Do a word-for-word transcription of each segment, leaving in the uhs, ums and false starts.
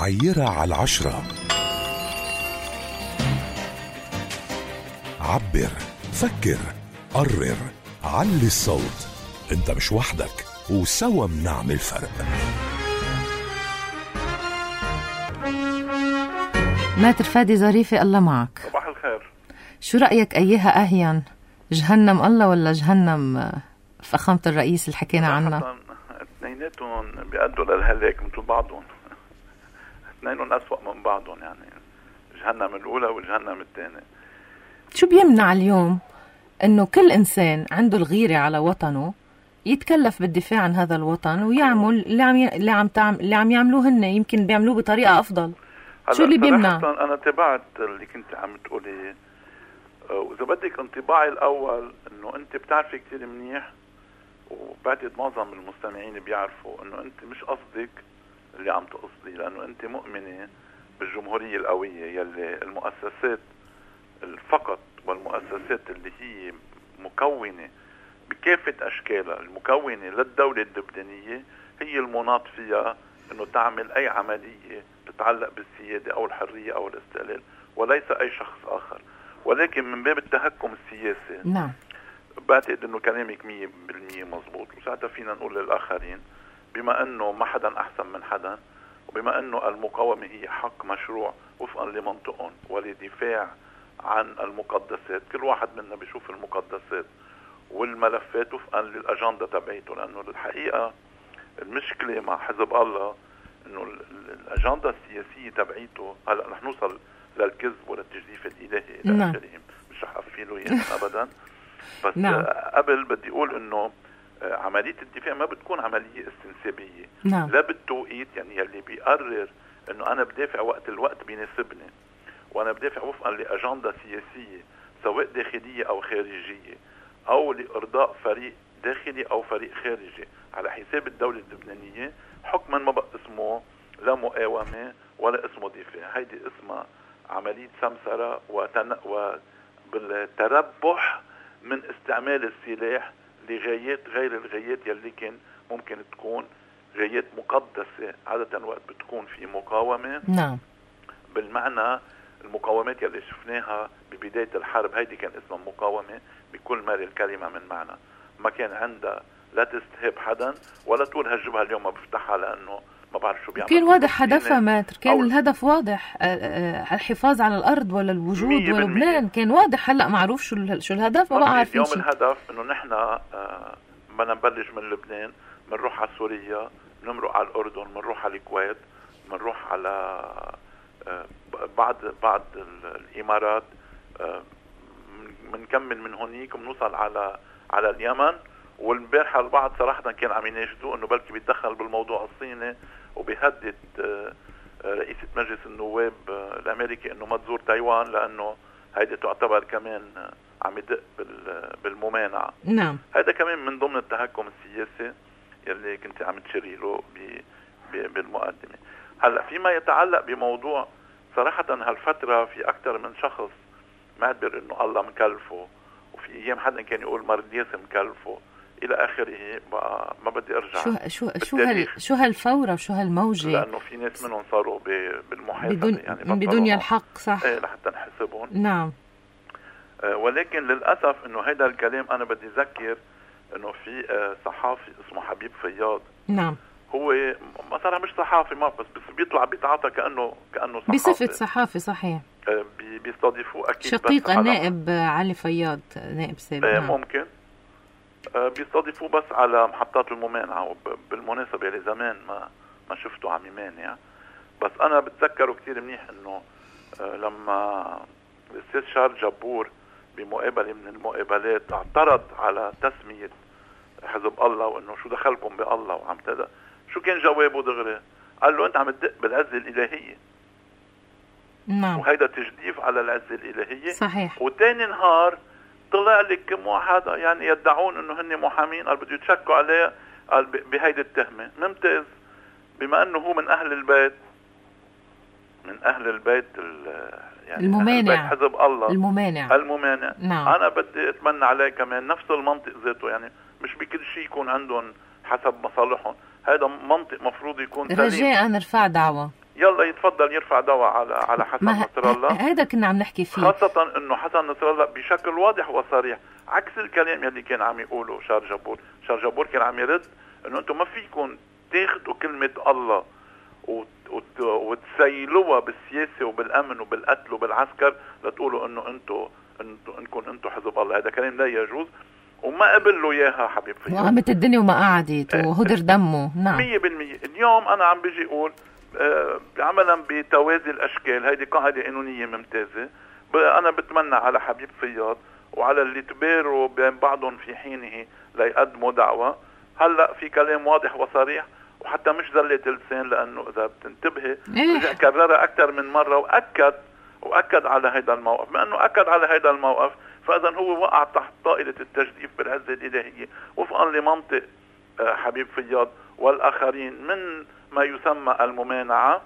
عيرة على العشرة. عبر، فكر، قرر، علي الصوت. انت مش وحدك، وسوا منعمل فرق. ماتر فادي ظريفة، الله معك. صباح الخير. شو رأيك أيها أهين، جهنم الله ولا جهنم فخامة الرئيس اللي حكينا عنها؟ اثنيناتهم بيأدوا للهلاك مثل بعضهم. اثنينهم أسوأ من بعضهم، يعني جهنم الأولى وجهنم الثانية. شو بيمنع اليوم إنه كل إنسان عنده الغيرة على وطنه يتكلف بالدفاع عن هذا الوطن ويعمل اللي عم ي... اللي عم تعمل اللي عم يعملوه هن، يمكن بيعملوه بطريقة أفضل. شو اللي بيمنع؟ أنا تبعت اللي كنت عم تقولي، وإذا بدك انطباعي الأول إنه أنت بتعرفي كتير منيح، وبعتقد معظم المستمعين بيعرفوا إنه أنت مش قصدك اللي عم تقصدي، لأنه أنت مؤمنة بالجمهورية القوية يلي المؤسسات فقط، والمؤسسات اللي هي مكونة بكافة أشكالها المكونة للدولة اللبنانية هي المناط فيها إنه تعمل أي عملية تتعلق بالسيادة أو الحرية أو الاستقلال، وليس أي شخص آخر. ولكن من باب التهكم السياسي، نعم، بعتقد إنه كلامك مية بالمية مزبوط، وساعتها فينا نقول للآخرين بما إنه ما حدا أحسن من حدا، وبما إنه المقاومة هي حق مشروع وفقا لمنطقهم ولدفاع عن المقدسات، كل واحد منا بيشوف المقدسات والملفات وفقا للأجندة تبعيته. لأنه الحقيقة المشكلة مع حزب الله إنه الأجندة السياسية تبعيته، هلأ رح نوصل للكذب وللتجديف الإلهي إلى نعم. آخره، مش رح أفيله يعني أبدا. بس نعم. قبل بدي أقول إنه عملية الدفاع ما بتكون عملية استنسابية، نعم. لا بالتوقيت، يعني يلي بيقرر إنه أنا بدافع وقت الوقت بيناسبني، وأنا بدافع وفقا لأجندة سياسية سواء داخلية أو خارجية، أو لإرضاء فريق داخلي أو فريق خارجي على حساب الدولة اللبنانية، حكما ما بقى اسمه لا مقاومة ولا اسمه دفاع. هيدي اسمها عملية سمسرة وتن... وبالتربح من استعمال السلاح لغايات غير الغايات يلي كان ممكن تكون غايات مقدسة. عادة وقت بتكون في مقاومة، نعم، بالمعنى المقاومات يلي شفناها ببداية الحرب هيدي كان اسمها مقاومة بكل ما الكلمة من معنى، ما كان عندها لا تستهاب حدا ولا تقول هالجبهة اليوم ما بفتحها لأنه ما بعرف شو بيعمل. كان واضح هدفها ماتر، كان الهدف واضح، الحفاظ على الأرض ولا الوجود ولبنان، كان واضح. هلأ معروف شو شو الهدف، ما بقى عارفين اليوم الهدف إنه نحن بدنا نبلش من لبنان، منروح على سوريا، منمرق على الأردن، منروح على الكويت، منروح على بعض بعض الإمارات، منكمل من هونيك ومنوصل على على اليمن. والبارحة البعض صراحة كان عم يناشدوا إنه بلكي بيتدخل بالموضوع الصيني وبيهدد رئيسة مجلس النواب الأمريكي إنه ما تزور تايوان، لأنه هيدا تعتبر كمان عم يدق بالممانعة. نعم، هذا كمان من ضمن التهكم السياسي يلي كنت عم تشيري له بالمقدمة. هلا فيما يتعلق بموضوع صراحة هالفترة في أكثر من شخص معتبر إنه الله مكلفه، وفي أيام حدا كان يقول مرديس مكلفه إلى آخره. بقى ما بدي أرجع شو شو شو هال شو هالفورة وشو هالموجة، لأنه في ناس منهم صاروا بالمحاسبة بدون يعني بدنيا الحق، صح؟ إيه، لحتى نحسبهم. نعم. آه ولكن للأسف إنه هذا الكلام أنا بدي أذكر إنه في آه صحافي اسمه حبيب فياض. نعم. هو مثلا مش صحافي ما بس بس بيطلع بيتعاطى كأنه كأنه صحافي، بصفة صحافي، صحيح. آه بيستضيفوه أكيد شقيق النائب علي فياض، نائب سابق. آه نعم. ممكن آه بيستضيفوه بس على محطات الممانعة. وبالمناسبة اللي زمان ما ما شفته عم يمانع، بس أنا بتذكره كتير منيح إنه آه لما الأستاذ شارل جبور بمقابلة من المقابلات اعترض على تسمية حزب الله وإنه شو دخلكم بالله وعم تدا، شو كان جوابه دغري؟ قال له أنت عم تدق بالعزة الإلهية. نعم. وهيدا تجديف على العزة الإلهية. صحيح. وتاني نهار طلع لك كم واحد يعني يدعون إنه هن محامين، قال بده يتشكوا عليه، قال بهيدي التهمة. ممتاز، بما إنه هو من أهل البيت، من أهل البيت يعني الممانع، حزب الله الممانع الممانع. نعم. أنا بدي أتمنى عليه كمان نفس المنطق ذاته، يعني مش بكل شيء يكون عندهم حسب مصالحهم، هذا منطق مفروض يكون سليم. رجاء نرفع دعوة يلا يتفضل يرفع دواء على على حسن نصر الله. هذا كنا عم نحكي فيه، خاصة انه حسن نصر الله بشكل واضح وصريح عكس الكلام يلي كان عم يقوله شار جبور. شار جبور كان عم يرد انه انتم ما فيكم تاخذوا كلمة الله وتسيلوها بالسياسة وبالامن وبالقتل وبالعسكر لتقولوا انه انتم انكم انتم حزب الله. هذا كلام لا يجوز وما قبل له اياها حبيب فيا. وقامت الدنيا وما قعدت وهدر دمه. نعم مية بالمية. اليوم انا عم بيجي اقول آه عملا بتوازي الاشكال، هيدي قاعدة قانونية ممتازة. انا بتمنى على حبيب فياض وعلى اللي تباروا بين بعضهم في حينه ليقدموا دعوة. هلا في كلام واضح وصريح وحتى مش زلة لسان، لانه اذا بتنتبهي رجع كررها اكثر من مرة واكد واكد على هذا الموقف. بما انه اكد على هذا الموقف فاذا هو وقع تحت طائلة التجديف بالعزة الالهية وفقا لمنطق حبيب فياض والاخرين من ما يسمى الممانعة.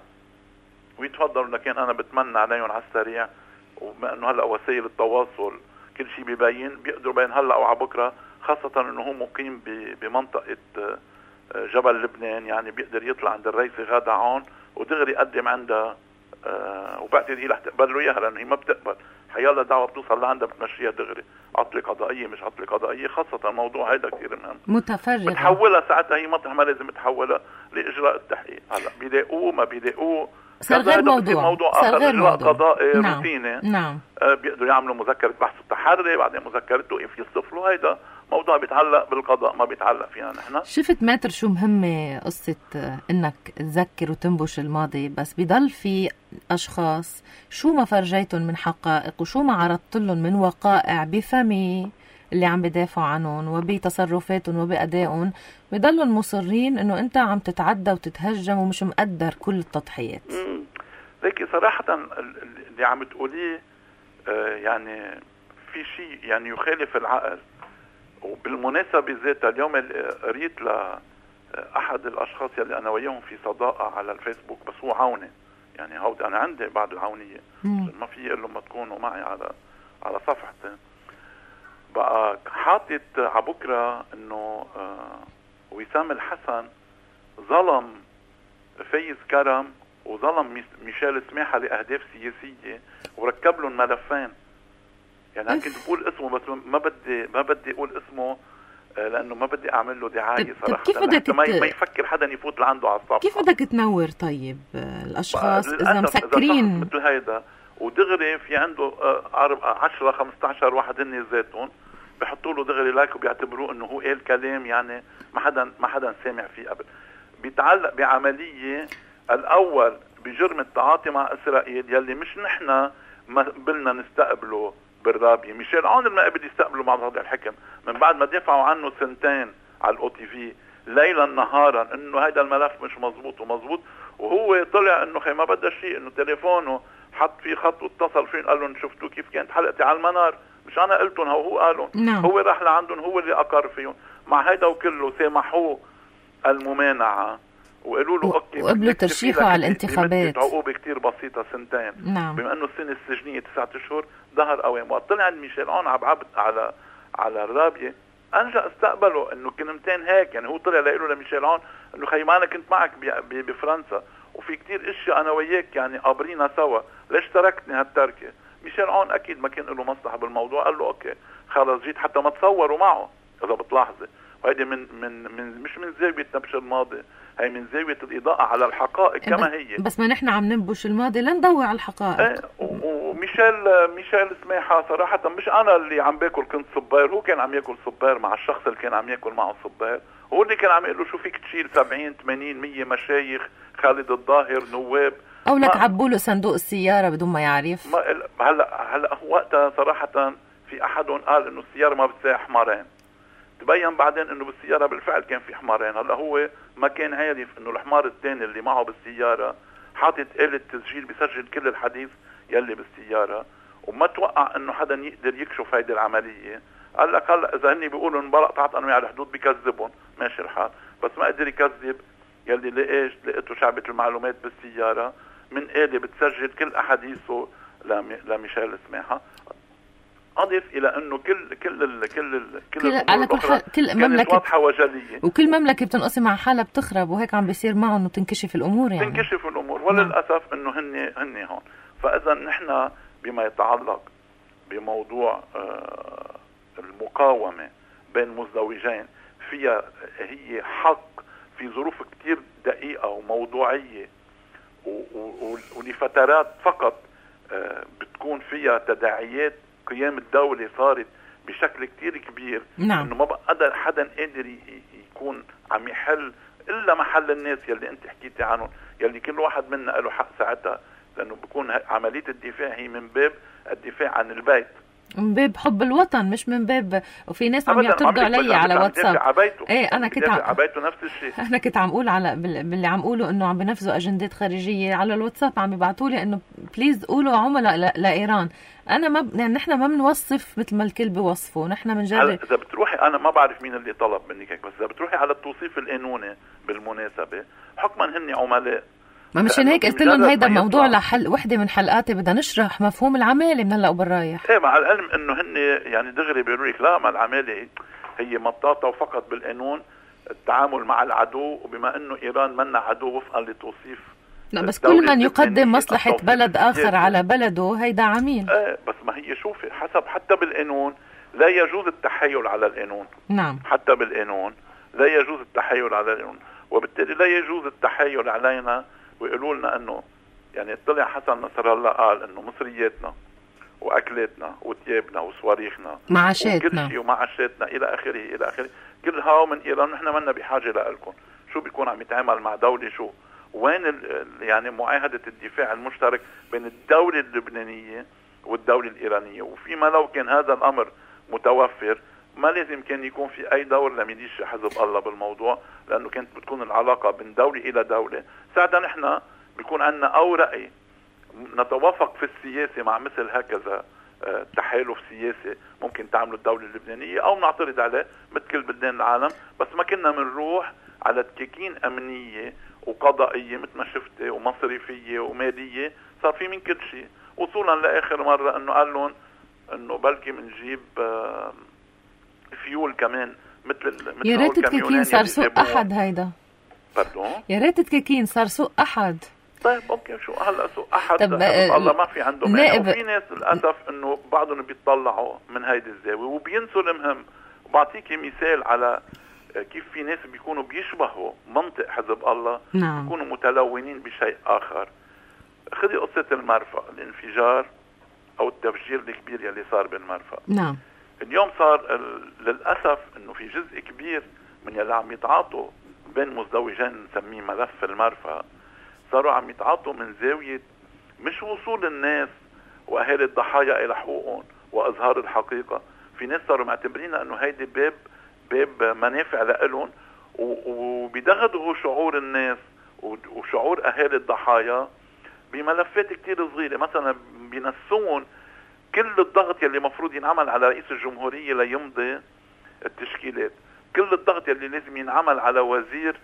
ويتفضلوا، لكن انا بتمنى عليهم على السريع، وبما انه هلا وسائل التواصل كل شيء بيبين بيقدروا بين هلا وعلى بكره، خاصة انه هو مقيم بمنطقة جبل لبنان، يعني بيقدر يطلع عند الرئيسة غادة عون ودغري يقدم عندها أه وبعتقد هي رح تقبل له اياها لانه هي ما بتقبل. حيالله دعوة بتوصل لعندها بتمشيها دغري، عطلة قضائية مش عطلة قضائية، خاصة الموضوع هيدا كثير مهم. متفرغة بتحولها ساعتها هي مطرح ما لازم تحولها لإجراء التحقيق. هلا بيلاقوه ما بيلاقوه صار غير موضوع، موضوع صار آخر، غير إجراء موضوع قضائي نعم. روتيني. نعم آه بيقدروا يعملوا مذكرة بحث التحري، بعدين مذكرة توقيف يصفلوا. هيدا موضوع بيتعلق بالقضاء ما بيتعلق فينا نحن. شفت ماتر شو مهمة قصة انك تذكر وتنبش الماضي، بس بيضل في اشخاص شو ما فرجيتهم من حقائق وشو ما عرضت لهم من وقائع بفمي اللي عم بدافعوا عنهم وبتصرفاتهم وبأدائهم، بيضلوا مصرين انه انت عم تتعدى وتتهجم ومش مقدر كل التضحيات. لكن صراحة اللي عم تقوليه آه يعني في شيء يعني يخالف العقل. وبالمناسبة ذاتها اليوم قريت لأحد الأشخاص يلي أنا وياهم في صداقة على الفيسبوك، بس هو عوني يعني هود أنا عندي بعض العونية ما في إلا ما تكونوا معي على على صفحتي. بقى حاطط عبكرة إنه آه وسام الحسن ظلم فايز كرم وظلم ميشيل سماحة لأهداف سياسية وركب لهم ملفين. يعني أنا كنت بقول اسمه بس ما بدي ما بدي أقول اسمه لأنه ما بدي أعمل له دعاية صراحة. كيف بدك ما يفكر حدا يفوت لعنده على الصفحة. كيف بدك تنور طيب الأشخاص إذا مسكرين مثل هيدا ودغري في عنده عشرة خمسة عشر واحد هن ذاتهم بيحطوا له دغري لايك وبيعتبروه إنه هو قال كلام يعني ما حدا ما حدا سامع فيه قبل. بيتعلق بعملية الأول بجرم التعاطي مع إسرائيل يلي مش نحن ما قبلنا نستقبله بالرابية. ميشيل عون ما قبل يستقبله مع هذا الحكم من بعد ما دفعوا عنه سنتين على الأو تي في ليلا نهارا انه هيدا الملف مش مزبوط ومزبوط، وهو طلع انه خي ما بدها شيء، انه تليفونه حط فيه خط واتصل فين قال لهم شفتوا كيف كانت حلقتي على المنار، مش انا قلتهم هو هو قالوا نعم. هو راح لعندهم هو اللي اقر فيهم. مع هيدا وكله سامحوه الممانعة وقالوا له اوكي وقبلوا ترشيحه على الانتخابات عقوبة كتير بسيطة سنتين. نعم. بما انه السنة السجنية تسعة اشهر ظهر قوام. وقت طلع ميشيل عون عبعبت على على الرابية انجا استقبله انه كلمتين هيك، يعني هو طلع لقيله لميشيل عون انه خي ما انا كنت معك بفرنسا وفي كتير اشياء انا وياك يعني قابرينا سوا، ليش تركتني هالتركة؟ ميشيل عون اكيد ما كان له مصلحة بالموضوع، قال له اوكي خلص جيت حتى ما تصوروا معه اذا بتلاحظي. وهيدي من من من مش من زاوية نبش الماضي، هي من زاوية الإضاءة على الحقائق كما هي. بس ما نحن عم ننبش الماضي لنضوي على الحقائق. ايه وميشيل ميشيل سماحة صراحة مش أنا اللي عم باكل كنت صبير، هو كان عم ياكل صبير مع الشخص اللي كان عم ياكل معه صبير، هو اللي كان عم يقول له شو فيك تشيل سبعين ثمانين مية مشايخ خالد الظاهر نواب أو لك عبوا له صندوق السيارة بدون ما يعرف. ما هلا هلا وقتها صراحة في أحدهم قال إنه السيارة ما بتساوي حمارين، تبين بعدين انه بالسيارة بالفعل كان في حمارين. هلا هو ما كان عارف انه الحمار الثاني اللي معه بالسيارة حاطط آلة تسجيل بيسجل كل الحديث يلي بالسيارة، وما توقع انه حدا يقدر يكشف هيدي العملية. قال لك هلا اذا هني بيقولوا انبلق تعط انواع الحدود بيكذبهم ماشي الحال، بس ما قدر يكذب يلي لقيش لقيته شعبة المعلومات بالسيارة من آلة بتسجل كل احاديثه لميشيل سماحة. اضف الى انه كل كل ال كل ال كل, كل على كل حال كل مملكه واضحه وجليه، وكل مملكه بتنقسم على حالها بتخرب، وهيك عم بيصير معهم وتنكشف الامور يعني تنكشف الامور. وللاسف انه هن هن هون. فاذا نحن بما يتعلق بموضوع آه المقاومه بين مزدوجين، فيها هي حق في ظروف كتير دقيقه وموضوعيه ولفترات فقط آه بتكون فيها تداعيات قيام الدولة صارت بشكل كتير كبير. نعم. انه ما بقدر حدا قادر يكون عم يحل الا محل الناس يلي انت حكيتي عنهم، يلي كل واحد منا له حق ساعتها، لانه بيكون عملية الدفاع هي من باب الدفاع عن البيت، من باب حب الوطن، مش من باب. وفي ناس عم يعترضوا علي على واتساب ايه انا كنت عم عبيته نفس الشيء. انا كنت عم اقول على باللي عم قوله انه عم بنفذوا اجندات خارجيه على الواتساب، عم يبعثوا لي انه بليز قولوا عملاء لايران. انا ما يعني نحن ما بنوصف مثل ما الكل بيوصفوا، نحن بنجرب. اذا بتروحي انا ما بعرف مين اللي طلب منك هيك، بس اذا بتروحي على التوصيف القانوني بالمناسبه حكما هن عملاء. ما مشان هيك قلت لهم هيدا موضوع لحل وحده من حلقاتي بدنا نشرح مفهوم العماله من هلا وبالرايح. ايه مع العلم انه هن يعني دغري بيقولوا لك لا، ما العماله هي مطاطه وفقط بالقانون التعامل مع العدو، وبما انه ايران منا عدو وفقا لتوصيف. لا بس كل من يقدم مصلحه بلد اخر على بلده هيدا عميل. ايه بس ما هي شوفي حسب حتى بالقانون لا يجوز التحايل على القانون. نعم. حتى بالقانون لا يجوز التحايل على القانون، وبالتالي لا يجوز التحايل علينا ويقولوا لنا انه يعني طلع حسن نصر الله قال انه مصرياتنا واكلاتنا وثيابنا وصواريخنا معاشاتنا وكل شيء ومعاشاتنا الى اخره الى اخره كل هاو من ايران، نحن منا بحاجه لكم. شو بيكون عم يتعامل مع دوله شو؟ وين ال يعني معاهده الدفاع المشترك بين الدوله اللبنانيه والدوله الايرانيه؟ وفيما لو كان هذا الامر متوفر ما لازم كان يكون في اي دور لميليش حزب الله بالموضوع، لانه كانت بتكون العلاقه بين دوله الى دوله. ساعتها نحن بيكون عندنا او راي نتوافق في السياسه مع مثل هكذا تحالف سياسي ممكن تعمله الدوله اللبنانيه، او نعترض عليه مثل كل بلدان العالم. بس ما كنا بنروح على تكاكين امنيه وقضائيه مثل ما شفتي ومصرفيه وماليه، صار في من كل شيء، وصولا لاخر مره انه قال لهم انه بلكي بنجيب فيول كمان مثل مثل يا ريت التكاكين صار سوق احد. هيدا باردون يا ريت التكاكين صار سوق احد. طيب اوكي شو هلا سوق احد الله ما في عنده مانع. وفي ناس للاسف انه بعضهم بيطلعوا من هيدي الزاويه وبينسوا المهم. وبعطيكي مثال على كيف في ناس بيكونوا بيشبهوا منطق حزب الله. نعم. بيكونوا متلونين بشيء اخر. خذي قصه المرفأ، الانفجار او التفجير الكبير يلي صار بالمرفأ. نعم. اليوم صار للاسف انه في جزء كبير من يلي عم يتعاطوا بين مزدوجين نسميه ملف المرفأ، صاروا عم يتعاطوا من زاويه مش وصول الناس واهالي الضحايا الى حقوقهم واظهار الحقيقه. في ناس صاروا معتبرين انه هيدي باب باب منافع لهم، وبيدغدغوا شعور الناس وشعور اهالي الضحايا بملفات كتير صغيره. مثلا بينسون كل الضغط يلي مفروض ينعمل على رئيس الجمهوريه ليمضي التشكيلات، كل الضغط يلي لازم ينعمل على وزير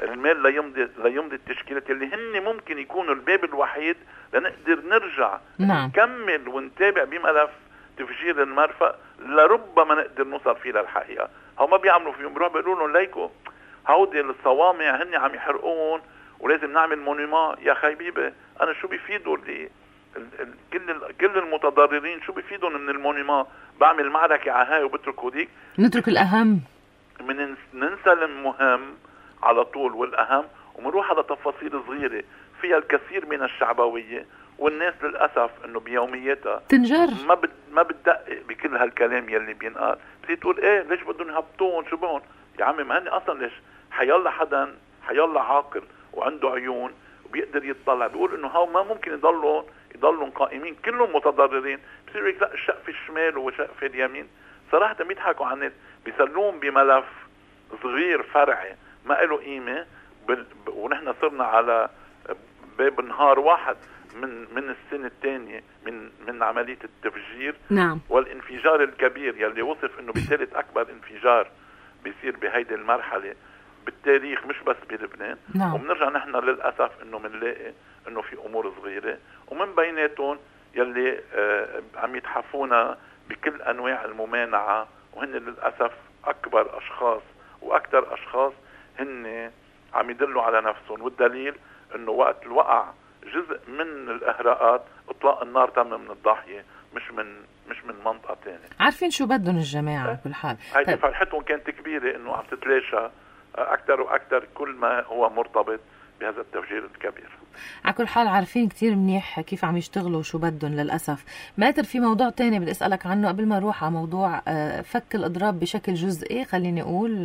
المال ليمضي ليمضي التشكيلات اللي هن ممكن يكونوا الباب الوحيد لنقدر نرجع. نعم. نكمل ونتابع بملف تفجير المرفأ لربما نقدر نوصل فيه للحقيقه. هم ما بيعملوا فيهم، بيروحوا بيقولوا لهم ليكو هودي الصوامع هن عم يحرقون ولازم نعمل مونيما. يا حبيبي انا شو بيفيدوا اللي كل كل المتضررين؟ شو بيفيدهم من المونيما؟ بعمل معركه على هاي وبترك هوديك. نترك الاهم، من ننسى المهم على طول والاهم ومنروح على تفاصيل صغيره فيها الكثير من الشعبويه، والناس للاسف انه بيومياتها تنجر ما بد ما بتدقق بكل هالكلام يلي بينقال. بتصير تقول ايه ليش بدهم يهبطون شو بهم؟ يا عمي ما هني اصلا ليش حيلا حدا حيلا عاقل وعنده عيون وبيقدر يطلع بيقول انه هاو ما ممكن يضلوا يضلوا قائمين كلهم متضررين. بصير يقول لا الشق في الشمال وشق في اليمين. صراحه بيضحكوا على الناس، بيسلوهم بملف صغير فرعي ما له قيمه بال... ونحن صرنا على باب نهار واحد من من السنه الثانيه من من عمليه التفجير. نعم. والانفجار الكبير يلي وصف انه بثالث اكبر انفجار بيصير بهيدي المرحله بالتاريخ مش بس بلبنان. نعم. وبنرجع نحن للاسف انه بنلاقي انه في امور صغيره ومن بيناتهم يلي آه عم يتحفونا بكل انواع الممانعة، وهن للأسف اكبر اشخاص واكثر اشخاص هن عم يدلوا على نفسهم. والدليل انه وقت الوقع جزء من الاهراءات اطلاق النار تم من الضاحية، مش من مش من منطقة تانية. عارفين شو بدهم الجماعة بكل حال. هيدي طيب. فرحتهم كانت كبيرة انه عم تتلاشى اكثر واكثر كل ما هو مرتبط بهذا التفجير الكبير. على كل حال عارفين كتير منيح كيف عم يشتغلوا شو بدهم للأسف. ماتر في موضوع تاني بدي أسألك عنه قبل ما نروح على موضوع فك الإضراب بشكل جزئي، خليني أقول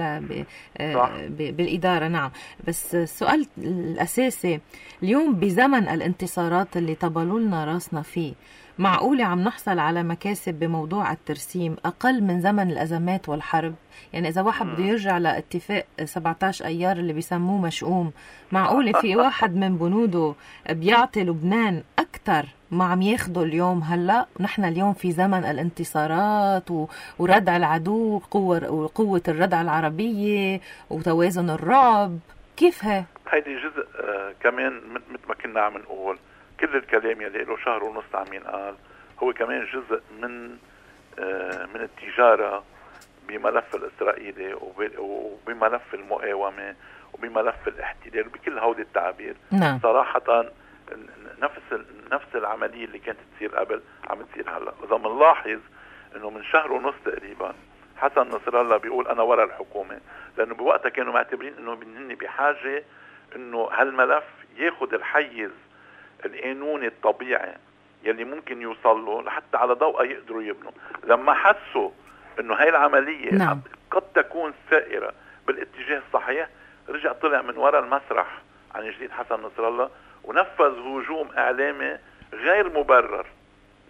بالإدارة. نعم، بس السؤال الأساسي اليوم بزمن الانتصارات اللي طبلوا لنا راسنا فيه، معقولة عم نحصل على مكاسب بموضوع الترسيم أقل من زمن الأزمات والحرب؟ يعني إذا واحد بده يرجع لاتفاق سبعة عشر أيار اللي بيسموه مشؤوم، معقولة في واحد من بنوده بيعطي لبنان أكتر ما عم ياخده اليوم؟ هلأ نحن اليوم في زمن الانتصارات وردع العدو وقوة الردع العربية وتوازن الرعب، كيف ها؟ هيدي جزء آه كمان مثل ما كنا عم نقول، كل الكلام يلي له شهر ونص عم ينقال هو كمان جزء من آه من التجارة بملف الإسرائيلي وبملف المقاومة وبملف الاحتلال وبكل هودي التعابير. نعم. صراحة نفس نفس العملية اللي كانت تصير قبل عم تصير هلا. إذا بنلاحظ إنه من شهر ونص تقريبا حسن نصر الله بيقول أنا ورا الحكومة، لأنه بوقتها كانوا معتبرين إنه هن بحاجة إنه هالملف ياخد الحيز القانوني الطبيعي يلي ممكن يوصل له لحتى على ضوء يقدروا يبنوا. لما حسوا انه هاي العملية نعم. قد تكون سائرة بالاتجاه الصحيح، رجع طلع من وراء المسرح عن جديد حسن نصر الله ونفذ هجوم اعلامي غير مبرر.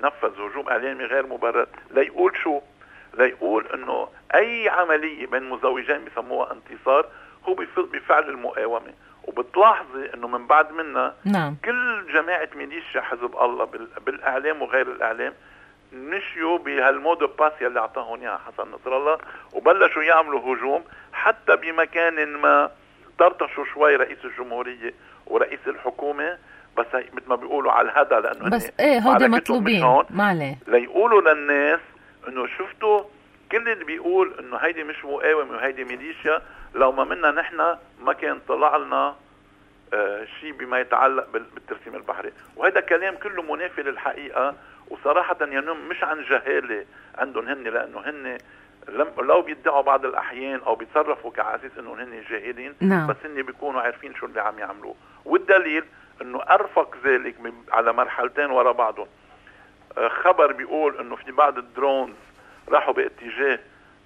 نفذ هجوم اعلامي غير مبرر ليقول شو؟ ليقول انه اي عملية بين مزوجين بيسموها انتصار هو بفعل المقاومة. وبتلاحظي انه من بعد منا نعم. كل جماعة ميليشيا حزب الله بالاعلام وغير الاعلام مشيوا بهالمود باس يلي اعطاهم اياها حسن نصر الله، وبلشوا يعملوا هجوم حتى بمكان ما طرطشوا شوي رئيس الجمهورية ورئيس الحكومة، بس مثل ما بيقولوا على الهدى، لانه بس ايه هودي مطلوبين ما عليه ليقولوا للناس انه شفتوا كل اللي بيقول انه هيدي مش مقاومة وهيدي ميليشيا لو ما منا نحن ما كان طلع لنا آه شيء بما يتعلق بالترسيم البحري. وهذا كلام كله منافي للحقيقة، وصراحة ينم مش عن جهالة عندهم هن، لأنه هن لو بيدعوا بعض الأحيان أو بيتصرفوا كعاساس إنه هن جاهلين، نعم. بس هن بيكونوا عارفين شو اللي عم يعملوه. والدليل إنه أرفق ذلك على مرحلتين ورا بعضهم. آه خبر بيقول إنه في بعض الدرونز راحوا باتجاه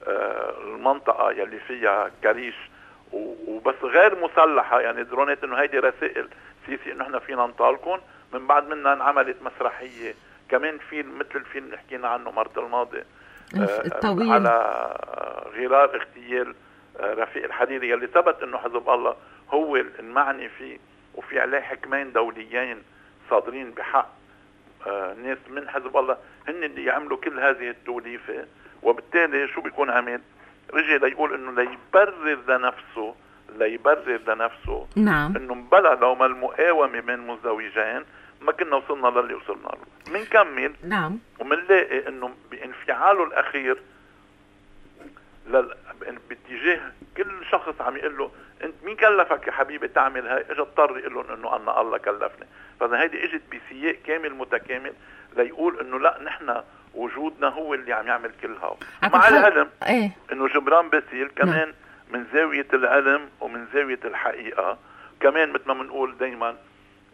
آه المنطقة يلي فيها كريش وبس غير مسلحة، يعني درونات إنه هيدي رسائل سيسي إنه إحنا فينا نطالكم. من بعد منها انعملت مسرحية كمان فيلم مثل الفيلم اللي حكينا عنه مرة الماضي الطويل على غرار اغتيال رفيق الحريري يلي ثبت انه حزب الله هو المعني فيه، وفي عليه حكمين دوليين صادرين بحق ناس من حزب الله هن اللي يعملوا كل هذه التوليفة. وبالتالي شو بيكون عمل؟ رجع ليقول انه ليبرر لنفسه ليبرر لنفسه نعم. انه مبلا لو ما المقاومة بين مزدوجين ما كنا وصلنا للي وصلنا له. منكمل نعم. ومنلاقي انه بانفعاله الاخير لل... باتجاه كل شخص عم يقول له انت مين كلفك يا حبيبي تعمل هاي، اجى اضطر يقول لهم انه انا الله كلفني. فاذا هيدي اجت بسياق كامل متكامل ليقول انه لا نحن وجودنا هو اللي عم يعمل كل هاو، مع العلم ايه؟ انه جبران باسيل كمان م. من زاوية العلم ومن زاوية الحقيقة كمان مثل ما بنقول دايما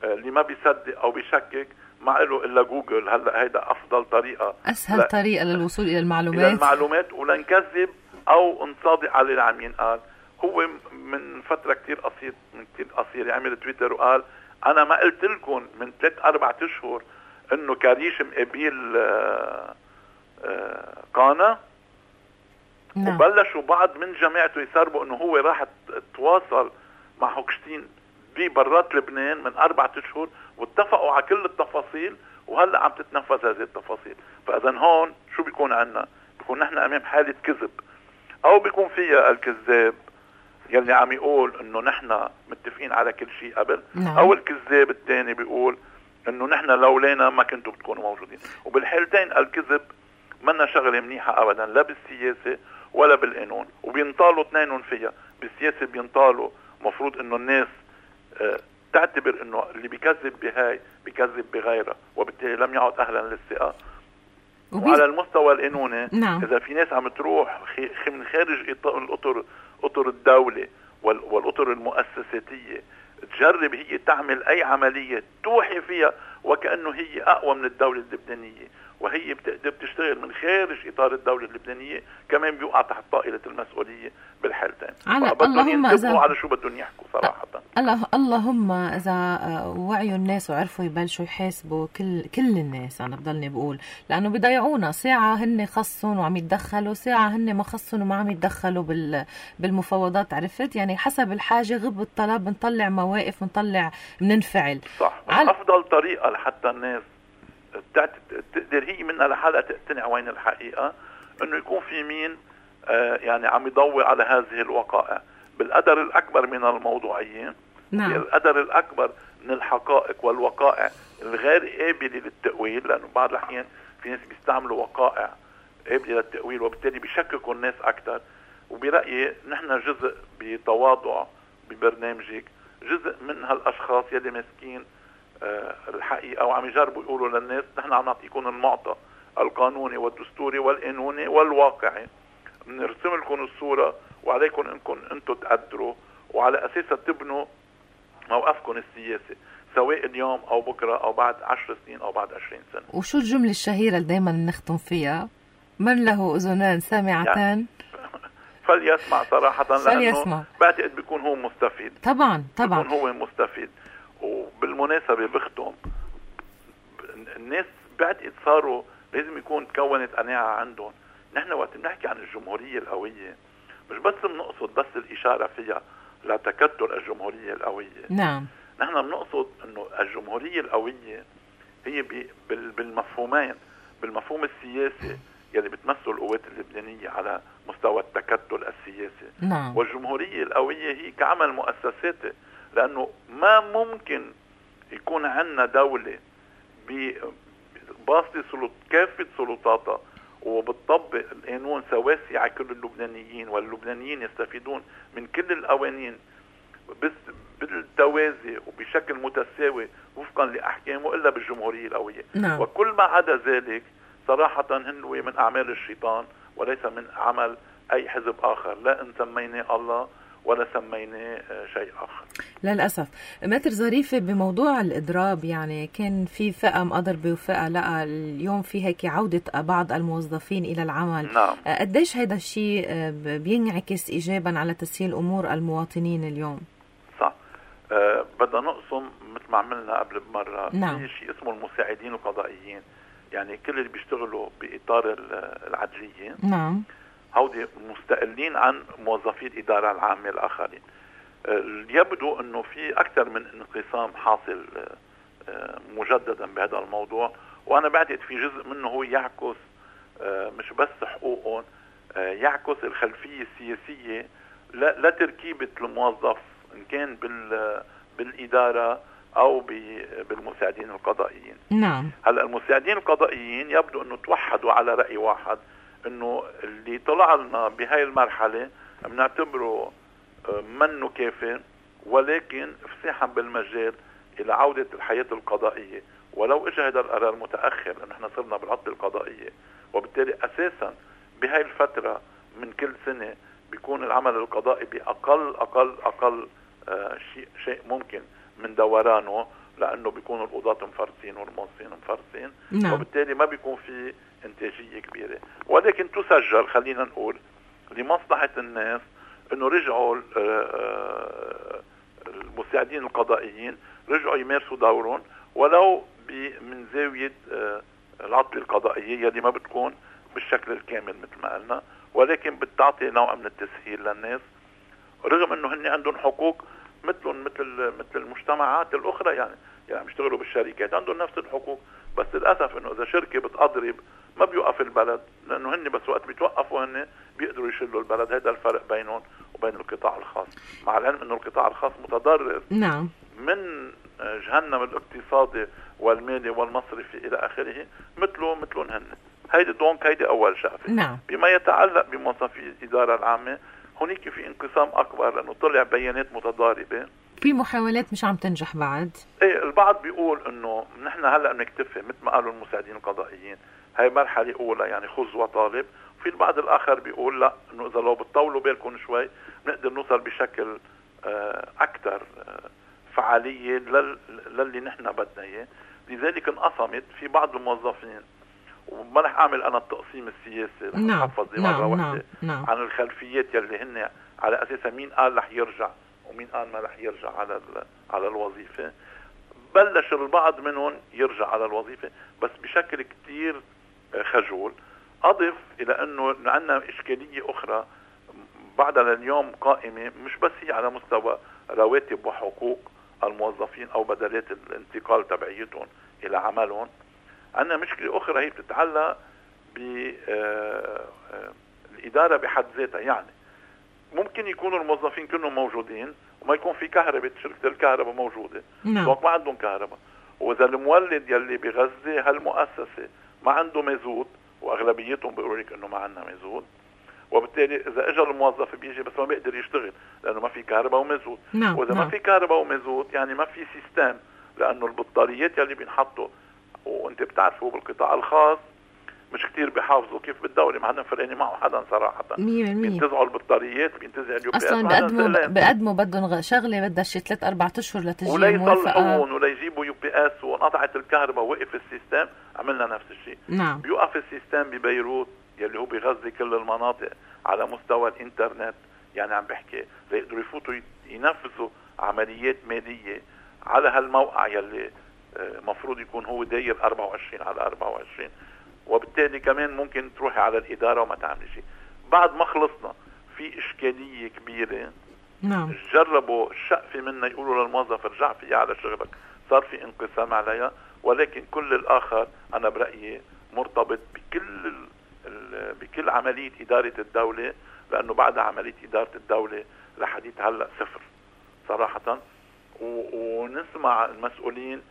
اللي ما بيصدق او بيشكك ما له الا جوجل. هلا هيدا افضل طريقه، اسهل لا طريقه للوصول الى المعلومات الى المعلومات ولنكذب او نصادق على اللي عم ينقال. هو من فتره كتير قصير من كتير قصير عمل تويتر وقال انا ما قلت لكم من ثلاث اربع اشهر انه كريش مقابل آآ آآ قانا. نعم. وبلشوا بعض من جماعته يسربوا انه هو راح تواصل مع هوكشتين ببرات لبنان من أربعة أشهر واتفقوا على كل التفاصيل، وهلأ عم تتنفذ هذه التفاصيل. فإذا هون شو بيكون عنا؟ بيكون نحن أمام حالة كذب، أو بيكون فيها الكذاب يلي عم يقول إنه نحن متفقين على كل شيء قبل، نعم. أو الكذاب الثاني بيقول إنه نحن لولانا ما كنتوا بتكونوا موجودين. وبالحالتين الكذب منا شغله منيحه ابدا لا بالسياسه ولا بالقانون، وبينطالوا اثنينهم فيها. بالسياسه بينطالوا مفروض انه الناس اه تعتبر انه اللي بيكذب بهاي بيكذب بغيرها، وبالتالي لم يعد اهلا للثقه. وبي... وعلى المستوى القانوني نعم. اذا في ناس عم تروح خ... من خارج الاطر اطر الدوله وال... والاطر المؤسساتيه تجرب هي تعمل اي عمليه توحي فيها وكانه هي اقوى من الدوله اللبنانيه، وهي بتقدر تشتغل من خارج اطار الدوله اللبنانيه، كمان بيوقع تحت طائله المسؤوليه بالحالتين. اللهم اذا على شو بدهم يحكوا صراحه. الله اللهم اذا وعيوا الناس وعرفوا يبلشوا يحاسبوا كل كل الناس. انا بضلني بقول لانه بيضيعونا ساعه هن خصهم وعم يتدخلوا، ساعه هن ما خصهم وما عم يتدخلوا بال بالمفاوضات. عرفت يعني حسب الحاجه غب الطلب بنطلع مواقف بنطلع بننفعل. صح. عل... افضل طريقه لحتى الناس تقدر هي منها لحالها تقتنع وين الحقيقه انه يكون في مين آه يعني عم يضوي على هذه الوقائع بالقدر الاكبر من الموضوعيه. نعم. بالقدر الاكبر من الحقائق والوقائع الغير قابله للتاويل، لانه بعض الاحيان في ناس بيستعملوا وقائع قابله للتاويل وبالتالي بيشككوا الناس اكثر. وبرايي نحن جزء بتواضع ببرنامجك، جزء من هالاشخاص يلي ماسكين أه الحقيقه وعم يجربوا يقولوا للناس نحن عم نعطيكم المعطى القانوني والدستوري والقانوني والواقعي، بنرسم لكم الصوره وعليكم انكم انتم تقدروا وعلى اساسها تبنوا موقفكم السياسي سواء اليوم او بكره او بعد عشر سنين او بعد عشرين سنه. وشو الجمله الشهيره اللي دائما نختم فيها؟ من له اذنان سامعتان يعني فليسمع صراحه، فليسمع. لانه بعتقد بيكون هو مستفيد. طبعا طبعا بيكون هو مستفيد. وبالمناسبة بختم، الناس بعتقد صاروا لازم يكون تكونت قناعة عندهم. نحن وقت بنحكي عن الجمهورية القوية مش بس بنقصد بس الإشارة فيها لتكتل الجمهورية القوية. نعم. نحن بنقصد انه الجمهورية القوية هي بالمفهومين، بالمفهوم السياسي يلي بتمثل القوات اللبنانية على مستوى التكتل السياسي. نعم. والجمهورية القوية هي كعمل مؤسساتي، لأنه ما ممكن يكون عندنا دولة بباسطة سلط كافة سلطاتها وبتطبق القانون سواسي على كل اللبنانيين، واللبنانيين يستفيدون من كل القوانين بس بالتوازي وبشكل متساوي وفقا لأحكامه إلا بالجمهورية القوية. نعم. وكل ما عدا ذلك صراحة هنو من أعمال الشيطان وليس من عمل أي حزب آخر، لا إن سميناه الله ولا سميناه شيء آخر. للأسف. ماتر ظريفة بموضوع الإضراب، يعني كان في فئة مقدربة وفئة لا، اليوم في هيك عودة بعض الموظفين إلى العمل. نعم. قديش هذا الشيء بينعكس إيجابا على تسهيل أمور المواطنين اليوم؟ صح. أه بدنا نقسم مثل ما عملنا قبل بمرة. نعم. في شيء اسمه المساعدين القضائيين، يعني كل اللي بيشتغلوا بإطار العدلية. نعم. هودي مستقلين عن موظفي الإدارة العامة الآخرين. يبدو أنه في أكثر من انقسام حاصل مجددا بهذا الموضوع، وأنا بعتقد في جزء منه هو يعكس مش بس حقوقهم، يعكس الخلفية السياسية لتركيبة الموظف إن كان بالإدارة أو بالمساعدين القضائيين. نعم. هلأ المساعدين القضائيين يبدو أنه توحدوا على رأي واحد، انه اللي طلع لنا بهاي المرحلة بنعتبره منه كافي، ولكن فساحا بالمجال الى عودة الحياة القضائية، ولو اجى هذا القرار متأخر لانه احنا صرنا بالعطلة القضائية، وبالتالي اساسا بهاي الفترة من كل سنة بيكون العمل القضائي باقل اقل اقل آه شيء شيء ممكن من دورانه، لانه بيكونوا القضاة مفرسين والموظفين مفرسين. نعم. وبالتالي ما بيكون في انتاجية كبيرة، ولكن تسجل خلينا نقول لمصلحة الناس انه رجعوا المساعدين القضائيين رجعوا يمارسوا دورهم ولو من زاوية العطلة القضائية اللي ما بتكون بالشكل الكامل مثل ما قلنا، ولكن بتعطي نوع من التسهيل للناس، رغم انه هن عندهم حقوق مثلهم مثل مثل المجتمعات الاخرى. يعني يعني بيشتغلوا بالشركات عندهم نفس الحقوق، بس للاسف انه اذا شركه بتضرب ما بيوقف البلد، لانه هن بس وقت بيتوقفوا هن بيقدروا يشيلوا البلد. هذا الفرق بينهم وبين القطاع الخاص، مع العلم انه القطاع الخاص متضرر. نعم. من جهنم الاقتصادي والمالي والمصرفي الى اخره، مثله مثلهم هن. هيدي دونك هيدي اول شغله. نعم. بما يتعلق بموظفي الاداره العامه هونيك في انقسام اكبر لانه طلع بيانات متضاربه، في محاولات مش عم تنجح بعد. ايه البعض بيقول انه نحن هلا بنكتفي مثل ما قالوا المساعدين القضائيين هي مرحله اولى يعني خذ وطالب، وفي البعض الاخر بيقول لا انه اذا لو بتطولوا بالكم شوي بنقدر نوصل بشكل آه اكثر آه فعاليه لل... للي نحن بدنا اياه. لذلك انقسمت في بعض الموظفين، وما رح اعمل انا التقسيم السياسي، رح نعم. اتحفظ نعم. مره واحده نعم. نعم. عن الخلفيات يلي هن على اساسها مين قال رح يرجع ومين قال ما رح يرجع على على الوظيفه. بلش البعض منهم يرجع على الوظيفه بس بشكل كتير خجول. اضف الى انه عندنا اشكاليه اخرى بعدها لليوم قائمه، مش بس هي على مستوى رواتب وحقوق الموظفين او بدلات الانتقال تبعيتهم الى عملهم. عندنا مشكله اخرى هي بتتعلق بالاداره بحد ذاتها. يعني ممكن يكونوا الموظفين كلهم موجودين وما يكون في كهرباء، شركه الكهرباء موجوده، نعم. ما عندهم كهرباء. واذا المولد يلي بغزه هالمؤسسه ما عنده مازوت، واغلبيتهم بيقولوا لك انه ما عندنا مازوت، وبالتالي اذا اجى الموظف بيجي بس ما بيقدر يشتغل لانه ما في كهرباء ومازوت. نعم. واذا نعم. ما في كهرباء ومازوت يعني ما في سيستم، لانه البطاريات يلي بينحطوا وانت بتعرفوا بالقطاع الخاص مش كتير بيحافظوا كيف بالدولة، ما حدا فرقاني معه حدا صراحة. مية بالمية بينتزعوا البطاريات، بينتزع اليو بي اس، اصلا بقدموا بقدموا بدهم شغله بدها شي ثلاث اربع اشهر لتجي ولا موافقه يصلحون ولا يجيبوا يو بي اس، وانقطعت الكهرباء ووقف السيستم. عملنا نفس الشيء. نعم. بيوقف السيستم ببيروت يلي هو بيغذي كل المناطق على مستوى الانترنت، يعني عم بحكي ليقدروا يفوتوا ينفذوا عمليات ماليه على هالموقع يلي مفروض يكون هو داير أربعة وعشرين على أربعة وعشرين، وبالتالي كمان ممكن تروحي على الإدارة وما تعملي شيء. بعد ما خلصنا في إشكالية كبيرة. نعم. جربوا الشقفة منا يقولوا للموظف ارجع فيها على شغلك، صار في انقسام عليها، ولكن كل الآخر أنا برأيي مرتبط بكل ال ال بكل عملية إدارة الدولة، لأنه بعد عملية إدارة الدولة لحديت هلأ صفر صراحة. ونسمع المسؤولين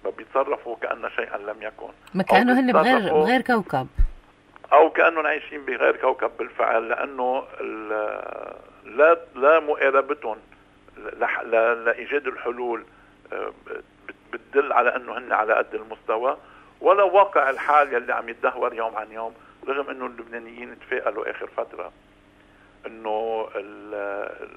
ما بيتصرفوا كأن شيئا لم يكن، ما كأنه هن بغير بغير كوكب، أو كأنهم عايشين بغير كوكب بالفعل، لأنه لا لا مقاربتهم لإيجاد الحلول بتدل على أنه هن على قد المستوى، ولا واقع الحال يلي عم يتدهور يوم عن يوم. رغم أنه اللبنانيين تفائلوا آخر فترة أنه ال ال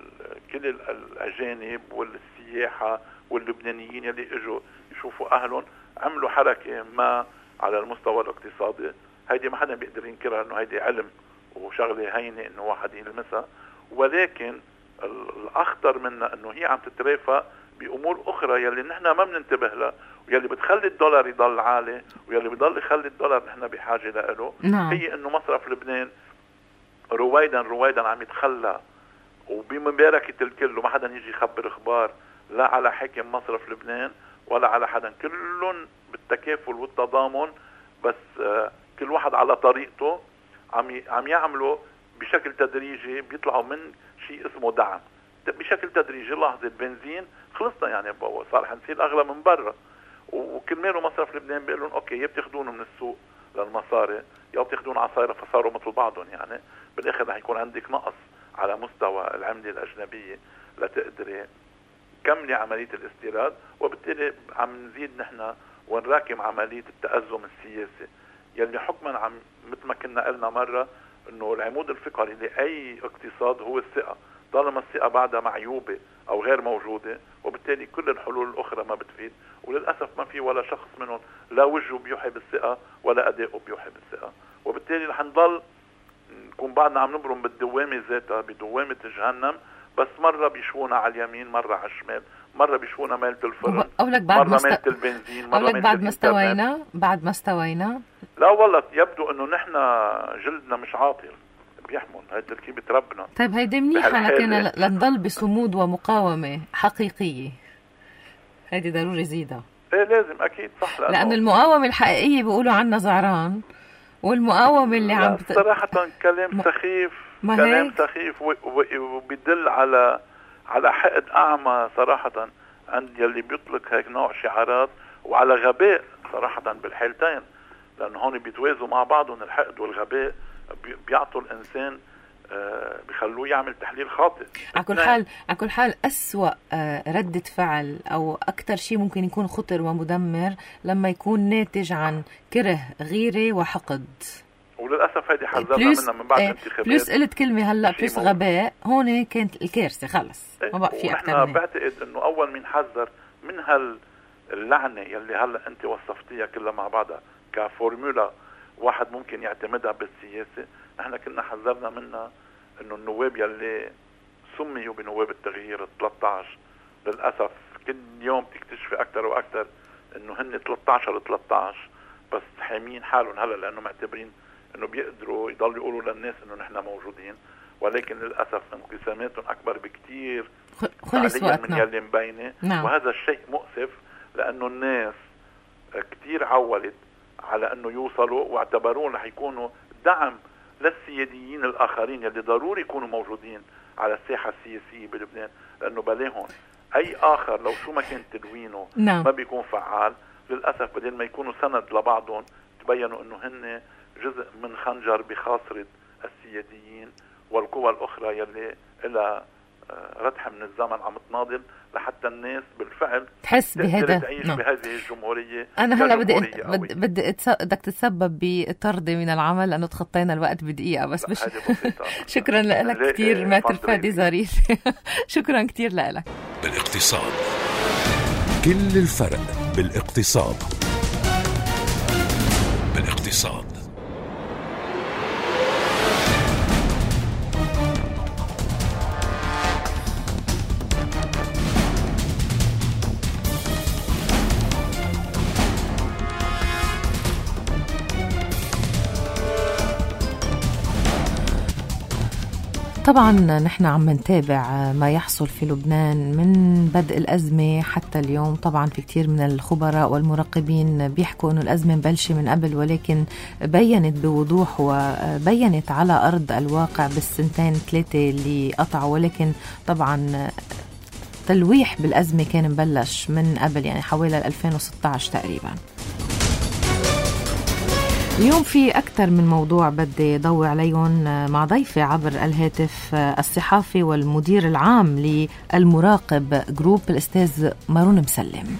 كل الأجانب والسياحة واللبنانيين يلي اجوا يشوفوا أهلهم عملوا حركة ما على المستوى الاقتصادي. هيدي ما حدا بيقدر ينكرها، انه هيدي علم وشغله هينه انه واحد يلمسها، ولكن الاخطر منها انه هي عم تترافق بامور اخرى يلي نحن ما بننتبه لها، ويلي بتخلي الدولار يضل عالي، ويلي بضل يخلي الدولار نحن بحاجه له. نعم. هي انه مصرف لبنان رويدا رويدا عم يتخلى وبمباركه الكل، وما حدا يجي يخبر اخبار لا على حاكم مصرف لبنان ولا على حدا، كلهم بالتكافل والتضامن، بس آه كل واحد على طريقته عم عم يعملوا بشكل تدريجي، بيطلعوا من شيء اسمه دعم بشكل تدريجي. لحظه البنزين خلصنا يعني صار حنصير اغلى من برا، وكرماله مصرف لبنان بيقول لهم اوكي يا بتاخذونه من السوق للمصاري يا بتاخذون عصايره، فصاروا مثل بعضهم. يعني بالاخر رح يكون عندك نقص على مستوى العمله الاجنبيه لتقدري كملي عمليه الاستيراد، وبالتالي عم نزيد نحن ونراكم عمليه التأزم السياسي يلي حكما عم مثل ما كنا قلنا مره انه العمود الفقري لاي اقتصاد هو الثقه. طالما الثقه بعدها معيوبه او غير موجوده، وبالتالي كل الحلول الاخرى ما بتفيد، وللاسف ما في ولا شخص منهم لا وجهه بيوحي بالثقه ولا اداؤه بيوحي بالثقه، وبالتالي رح نضل نكون بعدنا عم نبرم بالدوامه ذاتها بدوامه جهنم، بس مره بيشونا على اليمين مره على الشمال، مره بيشونا ميلة الفرن أولك بعد مره مست... ميلة البنزين مره أولك بعد ما استوينا بعد ما استوينا لا والله يبدو انه نحن جلدنا مش عاطل بيحمل هاي تركيبة ربنا. طيب هيدي منيحة لكن لنضل بصمود ومقاومة حقيقية، هيدي ضروري زيدها. ايه لازم اكيد صح، لأنه لأن المقاومة الحقيقية بيقولوا عنها زعران، والمقاومة اللي عم بت... صراحة كلام سخيف كلام سخيف وبيدل على على حقد اعمى صراحة عند يلي بيطلق هيك نوع شعارات، وعلى غباء صراحة بالحالتين. لأنه هون بيتوازوا مع بعضهم الحقد والغباء، بيعطوا الإنسان آه بيخلوه يعمل تحليل خاطئ. على كل حال على كل حال أسوأ آه ردة فعل أو أكتر شيء ممكن يكون خطر ومدمر لما يكون ناتج عن كره، غيرة وحقد. وللأسف هذه حذرنا منها من بعد الانتخابات. بلس قلت كلمة هلأ بلس غباء، هون كانت الكارثة خلص ما بقى في أكتر منها. بعتقد أنه أول من حذر من هاللعنة يلي هلأ أنت وصفتيها كلها مع بعضها كفورمولا واحد ممكن يعتمدها بالسياسة، نحن كنا حذرنا منها أنه النواب يلي سميوا بنواب التغيير ثلاثة عشر للأسف كل يوم تكتشفي أكتر وأكتر أنه هن ثلاثة عشر ثلاثة عشر بس حامين حالهم هلأ لأنه معتبرين أنه بيقدروا يضلوا يقولوا للناس أنه نحن موجودين، ولكن للأسف انقساماتهم أكبر بكتير فعليا من يلي مبينة. نعم. وهذا الشيء مؤسف لأنه الناس كتير عولت على أنه يوصلوا واعتبرون رح يكونوا دعم للسياديين الآخرين يلي ضروري يكونوا موجودين على الساحة السياسية بلبنان، لأنه بلاهم أي آخر لو شو ما كان تدوينه نعم. ما بيكون فعال. للأسف بدل ما يكونوا سند لبعضهم تبينوا أنه هن جزء من خنجر بخاصرة السياديين والقوى الأخرى يلي إلى ردح من الزمن عم تناضل لحتى الناس بالفعل تحس بهذا تعيش no. بهذه الجمهورية. أنا هلا بدي بدي بدي بدك تتسبب بطردي من العمل لأنه تخطينا الوقت بدقيقة بس. مش شكرا لك كتير ماتر فادي ظريف. شكرا كتير لك. بالاقتصاد كل الفرق بالاقتصاد. بالاقتصاد طبعا نحن عم نتابع ما يحصل في لبنان من بدء الأزمة حتى اليوم. طبعا في كتير من الخبراء والمراقبين بيحكوا أنه الأزمة مبلشة من قبل، ولكن بيّنت بوضوح وبيّنت على أرض الواقع بالسنتين ثلاثة اللي قطعوا، ولكن طبعا تلويح بالأزمة كان مبلش من قبل، يعني حوالي ألفين وستة عشر تقريبا. اليوم في أكثر من موضوع بدي ضوي عليهم مع ضيفي عبر الهاتف الصحافي والمدير العام للمراقب جروب الأستاذ مارون مسلم،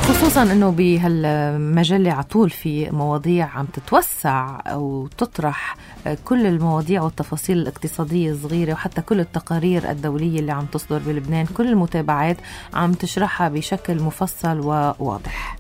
خصوصا أنه بهالمجلة عطول في مواضيع عم تتوسع أو تطرح كل المواضيع والتفاصيل الاقتصادية الصغيرة، وحتى كل التقارير الدولية اللي عم تصدر بلبنان، كل المتابعات عم تشرحها بشكل مفصل وواضح.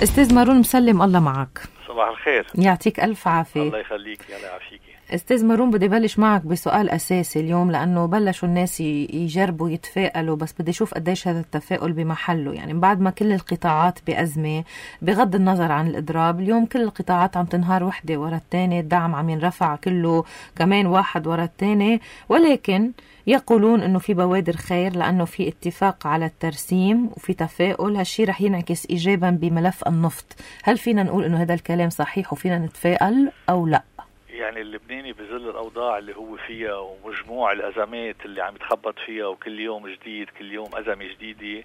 أستاذ مارون مسلم، الله معك. صباح الخير. يعطيك ألف عافية. الله يخليك. يلا يعافيكي. أستاذ مارون، بدي بلش معك بسؤال أساسي اليوم، لأنه بلشوا الناس يجربوا يتفائلوا، بس بدي أشوف قديش هذا التفاؤل بمحله. يعني بعد ما كل القطاعات بأزمة بغض النظر عن الإضراب، اليوم كل القطاعات عم تنهار وحدة ورا الثانية، الدعم عم ينرفع كله كمان واحد ورا الثاني، ولكن يقولون أنه في بوادر خير لأنه في اتفاق على الترسيم وفي تفاؤل. هالشي رح ينعكس إيجابا بملف النفط. هل فينا نقول أنه هذا الكلام صحيح وفينا نتفائل أو لا؟ يعني اللبناني بظل الأوضاع اللي هو فيها ومجموع الأزمات اللي عم يتخبط فيها وكل يوم جديد، كل يوم أزمة جديدة،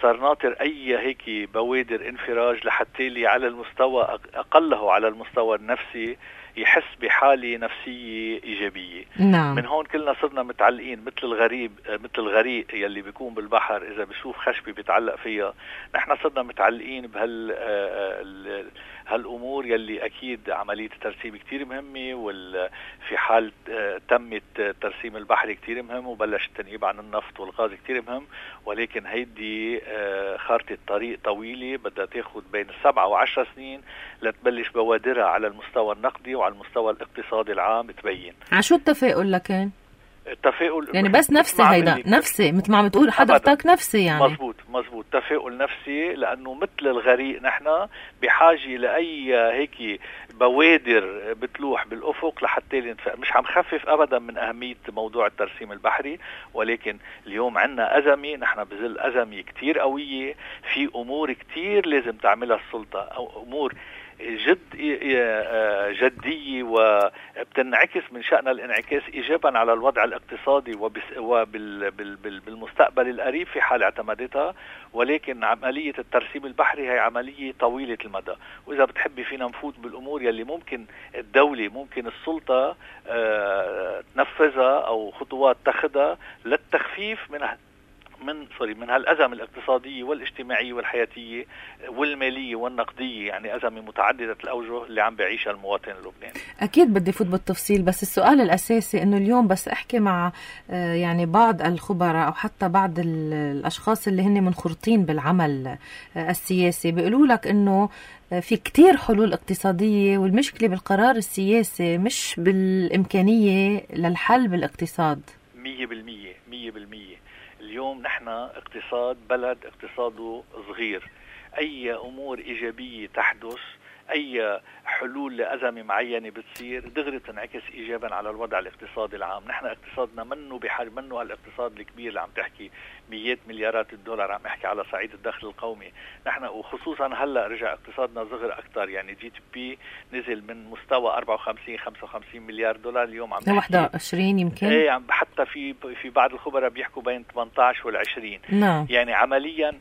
صار ناطر أي هيك بوادر انفراج لحتى لي على المستوى أقله على المستوى النفسي يحس بحالة نفسية إيجابية. نعم. من هون كلنا صرنا متعلقين مثل الغريب مثل الغريق يلي بيكون بالبحر إذا بيشوف خشبة بيتعلق فيها. نحن صرنا متعلقين بهال هالأمور يلي أكيد عملية الترسيم كتير مهمة، وفي حال تمت ترسيم البحر كتير مهم، وبلش التنقيب عن النفط والغاز كتير مهم، ولكن هيدي خارطة طريق طويلة بدها تاخد بين السبعة وعشر سنين لتبلش بوادرها على المستوى النقدي وعلى المستوى الاقتصادي العام تبين. عشو التفاؤل لكن؟ التفاؤل يعني بس نفسي، هيدا نفسي مثل ما عم بتقول حضرتك، نفسي يعني. مزبوط مزبوط تفاؤل نفسي، لأنه مثل الغريق نحن بحاجة لأي هيك بوادر بتلوح بالأفق لحتى نتفائل. مش عم خفف أبدا من أهمية موضوع الترسيم البحري، ولكن اليوم عنا أزمة، نحن بظل أزمة كتير قوية، في أمور كتير لازم تعملها السلطة، أو أمور جد جدية وبتنعكس من شأن الانعكاس إيجابا على الوضع الاقتصادي وبالمستقبل القريب في حال اعتمدتها. ولكن عملية الترسيم البحري هي عملية طويلة المدى، وإذا بتحبي فينا نفوت بالأمور يلي ممكن الدولة ممكن السلطة تنفذها أو خطوات تاخدها للتخفيف من من سوري من هالأزمة الاقتصادية والاجتماعية والحياتية والمالية والنقدية، يعني أزمة متعددة الأوجه اللي عم بيعيشها المواطن اللبناني. أكيد بدي فوت بالتفصيل، بس السؤال الأساسي إنه اليوم بس أحكي مع يعني بعض الخبراء أو حتى بعض الأشخاص اللي هن منخرطين بالعمل السياسي بيقولوا لك إنه في كتير حلول اقتصادية، والمشكلة بالقرار السياسي مش بالإمكانية للحل بالاقتصاد. مية بالمية مية بالمية. اليوم نحن اقتصاد بلد اقتصاده صغير، أي أمور إيجابية تحدث، أي حلول لأزمة معينة بتصير دغري تنعكس إيجابا على الوضع الاقتصادي العام. نحن اقتصادنا منه بحاجة، منه الاقتصاد الكبير اللي عم تحكي مئات مليارات الدولار، عم احكي على صعيد الدخل القومي. نحن وخصوصا هلا رجع اقتصادنا صغر أكثر، يعني جي تي بي نزل من مستوى أربعة وخمسين خمسة وخمسين مليار دولار اليوم عم نحكي واحد وعشرين يمكن. ايه عم حتى في في بعض الخبراء بيحكوا بين ثمانية عشر والعشرين. نعم. يعني عمليا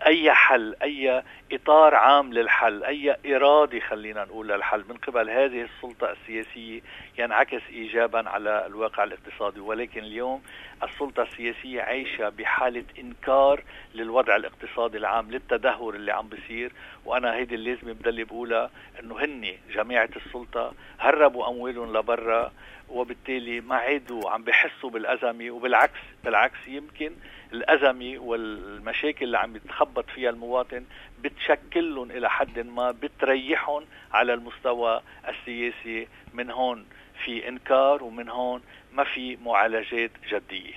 أي حل، أي إطار عام للحل، أي إرادة خلينا نقول للحل من قبل هذه السلطة السياسية ينعكس إيجابا على الواقع الاقتصادي. ولكن اليوم السلطة السياسية عايشة بحالة إنكار للوضع الاقتصادي العام، للتدهور اللي عم بيصير. وأنا هيدي اللازمة بدلي بقولها، إنه هني جماعة السلطة هربوا أموالهم لبرا، وبالتالي ما عادوا عم بيحسوا بالأزمة. وبالعكس بالعكس يمكن الأزمة والمشاكل اللي عم يتخبط فيها المواطن بتشكلهم إلى حد ما، بتريحهم على المستوى السياسي. من هون في إنكار ومن هون ما في معالجات جدية.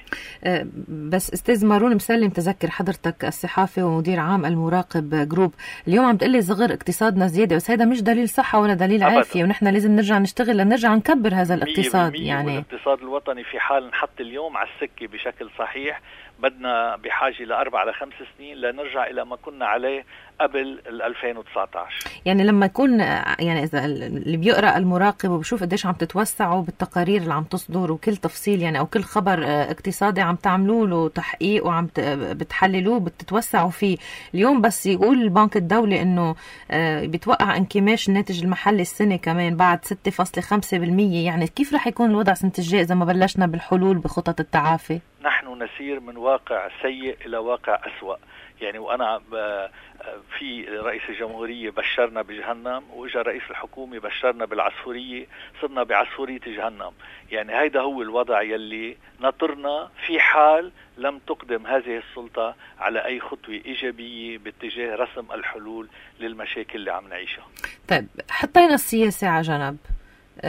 بس أستاذ مارون مسلم، تذكر حضرتك الصحافي ومدير عام المراقب جروب، اليوم عم تقلي صغر اقتصادنا زيادة، بس هذا مش دليل صحة ولا دليل أبداً. عافية، ونحن لازم نرجع نشتغل لنرجع نكبر هذا الاقتصاد. يعني الاقتصاد الوطني في حال نحط اليوم على السكة بشكل صحيح بدنا بحاجة لأربع لخمس سنين لنرجع إلى ما كنا عليه قبل ألفين وتسعة عشر. يعني لما يكون يعني إذا اللي بيقرأ المراقب وبشوف قديش عم تتوسعوا بالتقارير اللي عم تصدر وكل تفصيل يعني أو كل خبر اقتصادي عم تعملوا له تحقيق وعم بتحللوه بتتوسعوا فيه، اليوم بس يقول البنك الدولي إنه بيتوقع انكماش الناتج المحلي السنة كمان بعد ستة فاصلة خمسة بالمية، يعني كيف رح يكون الوضع سنة الجاي إذا ما بلشنا بالحلول بخطط التعافي؟ نحن نسير من واقع سيء إلى واقع أسوأ. يعني وأنا في رئيس الجمهورية بشرنا بجهنم، وإجا رئيس الحكومة بشرنا بالعصفورية، صرنا بعصفورية جهنم. يعني هيدا هو الوضع يلي نطرنا في حال لم تقدم هذه السلطة على أي خطوة إيجابية باتجاه رسم الحلول للمشاكل اللي عم نعيشها. طيب حطينا السياسة على جنب،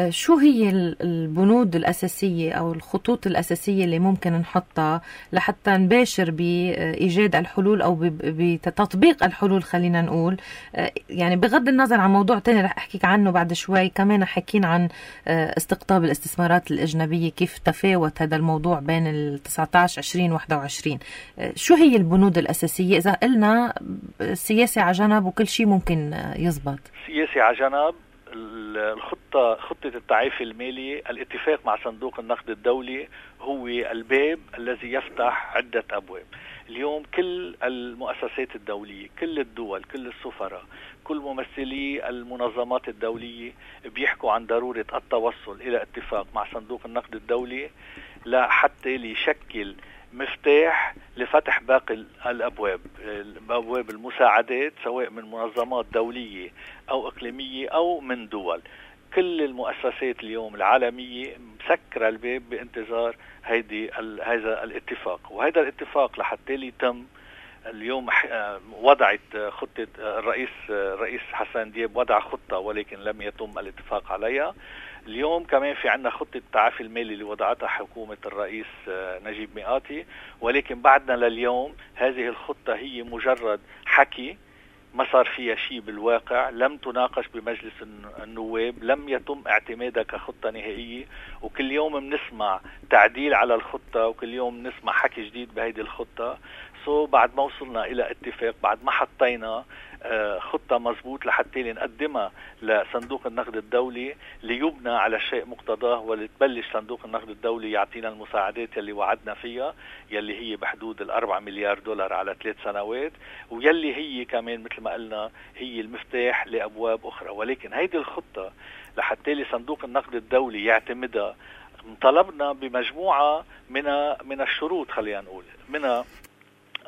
شو هي البنود الأساسية أو الخطوط الأساسية اللي ممكن نحطها لحتى نباشر بإيجاد الحلول أو بتطبيق الحلول؟ خلينا نقول يعني بغض النظر عن موضوع تاني رح أحكيك عنه بعد شوي، كمان حكينا عن استقطاب الاستثمارات الأجنبية، كيف تفاوت هذا الموضوع بين ال تسعة عشر عشرين واحد وعشرين. شو هي البنود الأساسية إذا قلنا السياسة على جنب وكل شيء ممكن يزبط؟ سياسة على جنب، الخطة خطة التعافي المالي، الاتفاق مع صندوق النقد الدولي هو الباب الذي يفتح عدة أبواب. اليوم كل المؤسسات الدولية، كل الدول، كل السفراء، كل ممثلي المنظمات الدولية بيحكوا عن ضرورة التوصل إلى اتفاق مع صندوق النقد الدولي لحتى ليشكل مفتاح لفتح باقي الأبواب، أبواب المساعدات سواء من منظمات دولية أو إقليمية أو من دول. كل المؤسسات اليوم العالمية مسكرة الباب بانتظار هيدي هذا الاتفاق. وهذا الاتفاق لحتى يتم اليوم وضعت خطة الرئيس الرئيس حسن دياب، وضع خطة ولكن لم يتم الاتفاق عليها. اليوم كمان في عنا خطة التعافي المالي اللي وضعتها حكومة الرئيس نجيب مئاتي، ولكن بعدنا لليوم هذه الخطة هي مجرد حكي، ما صار فيها شيء بالواقع، لم تناقش بمجلس النواب، لم يتم اعتمادها كخطة نهائية. وكل يوم بنسمع تعديل على الخطة، وكل يوم بنسمع حكي جديد بهيدي الخطة. سو بعد ما وصلنا إلى اتفاق، بعد ما حطينا خطة مزبوط لحتى نقدمها لصندوق النقد الدولي ليبنى على شيء مقتضاه، ولتبلش صندوق النقد الدولي يعطينا المساعدات يلي وعدنا فيها، يلي هي بحدود الأربع مليار دولار على ثلاث سنوات، ويلي هي كمان مثل ما قلنا هي المفتاح لأبواب أخرى. ولكن هيدي الخطة لحتى صندوق النقد الدولي يعتمدها طلبنا بمجموعة من من الشروط. خلينا نقول منها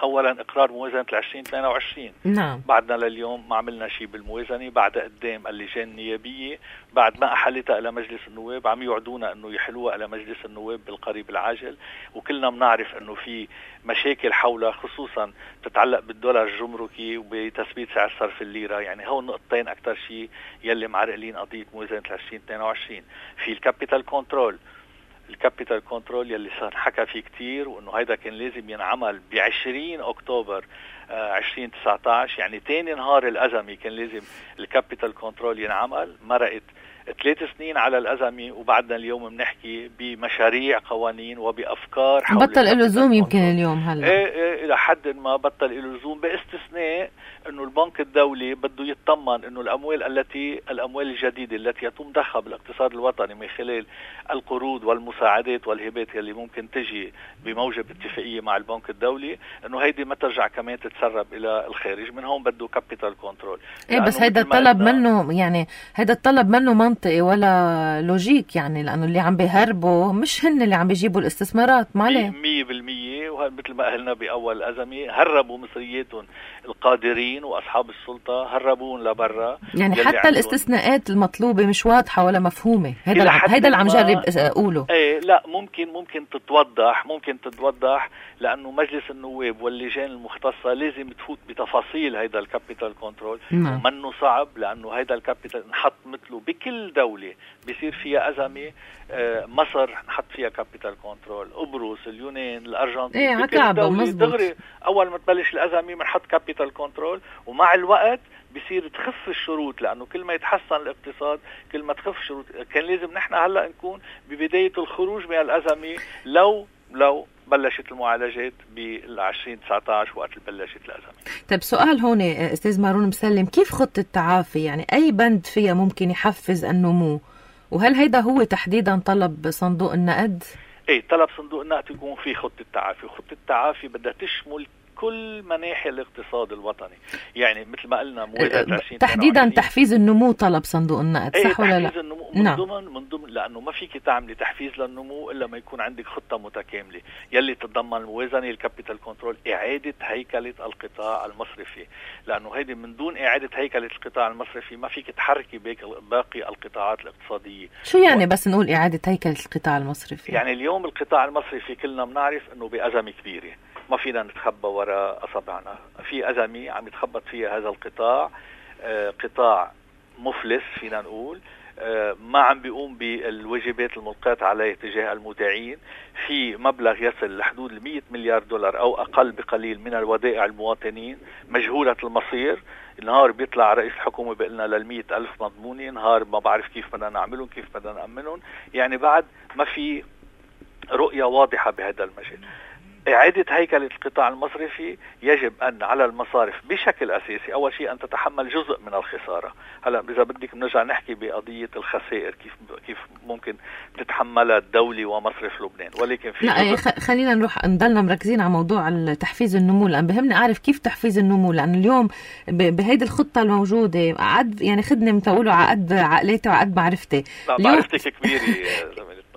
اولا اقرار موازنه عشرين اثنين وعشرين. نعم. بعدنا لليوم ما عملنا شيء بالموازنه، بعد قدام اللجان النيابيه بعد ما احلتها الى مجلس النواب عم يوعدونا انه يحلوها الى مجلس النواب بالقريب العاجل، وكلنا بنعرف انه في مشاكل حولها خصوصا تتعلق بالدولار الجمركي وبتثبيت سعر صرف الليره. يعني هون نقطتين اكثر شيء يلي معرقلين قضيه موازنه عشرين اثنين وعشرين. في الكابيتال كنترول، الكابيتال كنترول يلي صار حكى فيه كتير، وانه هيدا كان لازم ينعمل بعشرين اكتوبر عشرين تسعة عشر، يعني تاني نهار الازمه كان لازم الكابيتال كنترول ينعمل. مرقت ثلاث سنين على الازمه وبعدنا اليوم بنحكي بمشاريع قوانين وبافكار حول بطل له لزوم. يمكن اليوم هلا ايه ايه الى حد ما بطل له لزوم، باستثناء انه البنك الدولي بده يطمن انه الاموال التي الاموال الجديده التي يتم ضخها بالاقتصاد الوطني من خلال القروض والمساعدات والهبات اللي ممكن تجي بموجب اتفاقيه مع البنك الدولي، انه هيدي ما ترجع كمان تتسرب الى الخارج. من هون بده كابيتال كنترول. ايه بس هيدا الطلب منه، يعني هيدا الطلب منه منطقي ولا لوجيك، يعني لانه اللي عم بيهربوا مش هن اللي عم بيجيبوا الاستثمارات. ما عليه مية بالمية. ومثل ما قلنا باول الازمه هربوا مصرياتهم القادرين واصحاب السلطه، هربون لبرا. يعني حتى الاستثناءات المطلوبه مش واضحه ولا مفهومه. هيدا هيدا اللي عم جرب اقوله. ايه لا ممكن ممكن تتوضح ممكن تتوضح لانه مجلس النواب واللجان المختصه لازم تفوت بتفاصيل هيدا الكابيتال كنترول. ومنه صعب لانه هيدا الكابيتال نحط مثله بكل دوله بيصير فيها ازمه. آه مصر نحط فيها كابيتال كنترول، قبرص، اليونان، الارجنتين، ايه عكعبه دغري اول ما تبلش الازمه بنحط كابيتال كنترول. ومع الوقت بصير تخف الشروط، لانه كل ما يتحسن الاقتصاد كل ما تخف الشروط. كان لازم نحن هلا نكون ببدايه الخروج من الازمه لو لو بلشت المعالجات بالعشرين تسعة عشر وقت بلشت الازمه. طيب سؤال هون استاذ مارون مسلم، كيف خطه تعافي؟ يعني اي بند فيها ممكن يحفز النمو؟ وهل هيدا هو تحديدا طلب صندوق النقد؟ ايه طلب صندوق النقد يكون في خطه تعافي، وخطه التعافي بدها تشمل كل مناحي الاقتصاد الوطني. يعني مثل ما قلنا موازنة عشرين تحديدا تحفيز النمو طلب صندوق النقد، صح ولا لا؟ تحفيز النمو من نعم. ضمن من ضمن لانه ما فيك تعملي تحفيز للنمو الا ما يكون عندك خطه متكامله يلي تتضمن الموازنه، الكابيتال كنترول، اعاده هيكله القطاع المصرفي. لانه هيدي من دون اعاده هيكله القطاع المصرفي ما فيك تحركي باقي القطاعات الاقتصاديه. شو يعني و... بس نقول اعاده هيكله القطاع المصرفي؟ يعني اليوم القطاع المصرفي كلنا بنعرف انه بأزمة كبيره، ما فينا نتخبى وراء أصابعنا. في أزمة عم يتخبط فيها هذا القطاع، آه قطاع مفلس فينا نقول، آه ما عم بيقوم بالواجبات الملقاة عليه تجاه المودعين. في مبلغ يصل لحدود المية مليار دولار أو أقل بقليل من الودائع المواطنين مجهولة المصير. نهار بيطلع رئيس الحكومة بيقلنا للمية ألف مضمونة، نهار ما بعرف كيف بدنا نعملهم كيف بدنا نأمنهم. يعني بعد ما في رؤية واضحة بهذا المجال. إعادة هيكلة القطاع المصرفي يجب أن على المصارف بشكل أساسي أول شيء أن تتحمل جزء من الخسارة. هلا إذا بدك بنرجع نحكي بقضية الخسائر كيف كيف ممكن تتحملها الدولة ومصرف لبنان، ولكن في لا خلينا نروح نضلنا مركزين على موضوع تحفيز النمو، لأن بهمني أعرف كيف تحفيز النمو. لأن اليوم بهيدي الخطة الموجودة عقد يعني خدني متقولوا عقد عقلاتي وعقد معرفتي. لا معرفتك كبيرة.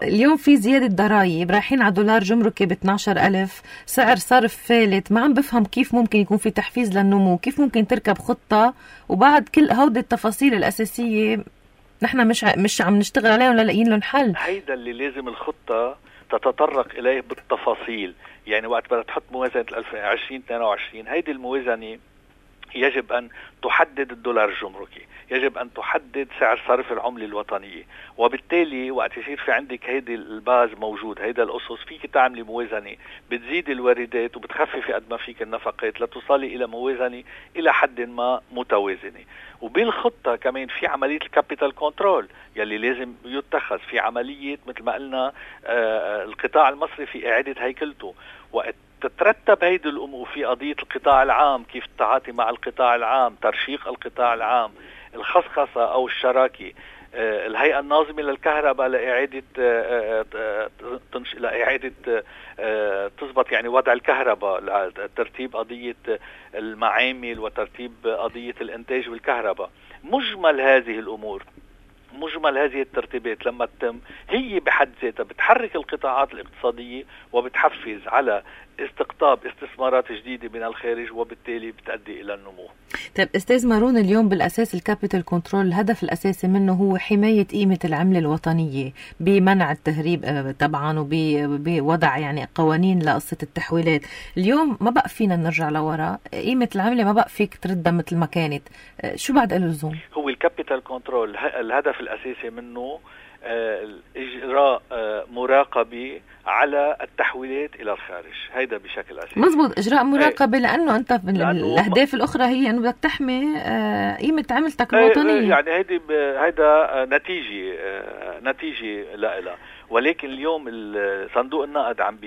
اليوم في زيادة ضرائب، رايحين على دولار جمركي ب اثني عشر ألف، سعر صرف فالت. ما عم بفهم كيف ممكن يكون في تحفيز للنمو، كيف ممكن تركب خطة وبعد كل هودي التفاصيل الأساسية نحن مش مش عم نشتغل عليهم ولا لاقيين لهم حل. هيدا اللي لازم الخطة تتطرق إليه بالتفاصيل. يعني وقت بدها تحط موازنة عشرين اثنين وعشرين هيدي الموازنة يجب أن تحدد الدولار الجمركي، يجب أن تحدد سعر صرف العملة الوطنية، وبالتالي وقت يصير في عندك هيدي الباز موجود، هيدا الأسس، فيك تعملي موازنة بتزيد الواردات وبتخففي قد ما فيك النفقات لتصلي إلى موازنة إلى حد ما متوازنة. وبالخطة كمان في عملية الكابيتال كنترول يلي لازم يتخذ، في عملية مثل ما قلنا آه القطاع المصرفي إعادة هيكلته. وقت تترتب هيدي الأمور في قضية القطاع العام، كيف التعاطي مع القطاع العام، ترشيق القطاع العام، الخصخصة أو الشراكة، الهيئة الناظمة للكهرباء لإعادة تنش... لإعادة تضبط يعني وضع الكهرباء، ترتيب قضية المعامل وترتيب قضية الإنتاج بالكهرباء. مجمل هذه الأمور، مجمل هذه الترتيبات لما تتم هي بحد ذاتها بتحرك القطاعات الاقتصادية وبتحفز على استقطاب استثمارات جديدة من الخارج، وبالتالي بتؤدي إلى النمو. طيب أستاذ مارون، اليوم بالأساس الكابيتال كنترول الهدف الأساسي منه هو حماية قيمة العملة الوطنية بمنع التهريب طبعا وبوضع يعني قوانين لقصة التحويلات. اليوم ما بقى فينا نرجع لورا، قيمة العملة ما بقى فيك تردها مثل ما كانت، شو بعد له لزوم؟ هو الكابيتال كنترول الهدف الأساسي منه إجراء مراقبة على التحويلات إلى الخارج، هيدا بشكل أساسي. مزبوط، إجراء مراقبة، لأنه أنت الأهداف الأخرى هي أنه بدك تحمي قيمة عملتك الوطنية. يعني هيدا هيدا نتيجة نتيجة لا ولكن اليوم صندوق النقد عم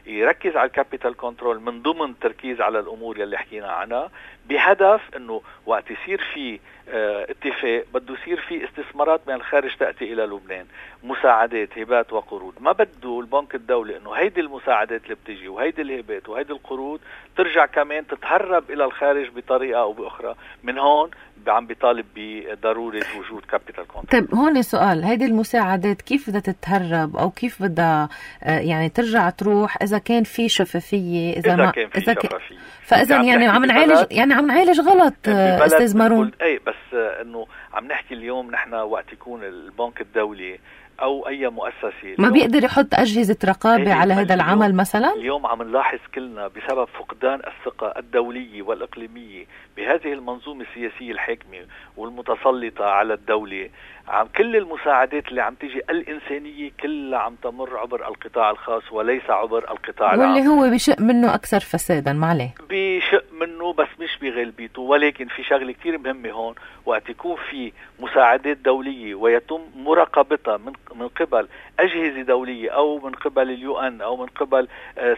بيركز على الكابيتال كنترول من ضمن تركيز على الأمور يلي حكينا عنها، بهدف انه وقت يصير في اه اتفاق بده يصير في استثمارات من الخارج تأتي الى لبنان، مساعدات، هبات وقروض. ما بده البنك الدولي انه هيدي المساعدات اللي بتجي وهيدي الهبات وهيدي القروض ترجع كمان تتهرب الى الخارج بطريقة او باخرى. من هون عم بيطالب بضرورة وجود كابيتال كنترول. طيب هون سؤال، هيدي المساعدات كيف بدها تتهرب او كيف بدها يعني ترجع تروح اذا كان في شفافية؟ اذا, إذا ما كان في شفافية فاذا يعني عم نعالج يعني عم نعالج غلط استاذ مارون. اي بس انه عم نحكي اليوم نحن وقت يكون البنك الدولي او اي مؤسسه ما بيقدر يحط اجهزه رقابه على هذا العمل مثلا. اليوم عم نلاحظ كلنا بسبب فقدان الثقه الدوليه والاقليميه بهذه المنظومه السياسيه الحاكمه والمتسلطه على الدوله، عم كل المساعدات اللي عم تيجي الانسانيه كلها عم تمر عبر القطاع الخاص وليس عبر القطاع العام، واللي هو بشق منه اكثر فسادا. ما عليه بشق منه بس مش بغلبيته. ولكن في شغله كثير مهمه هون، وقت يكون في مساعدات دوليه ويتم مراقبتها من من قبل اجهزه دوليه او من قبل اليو ان او من قبل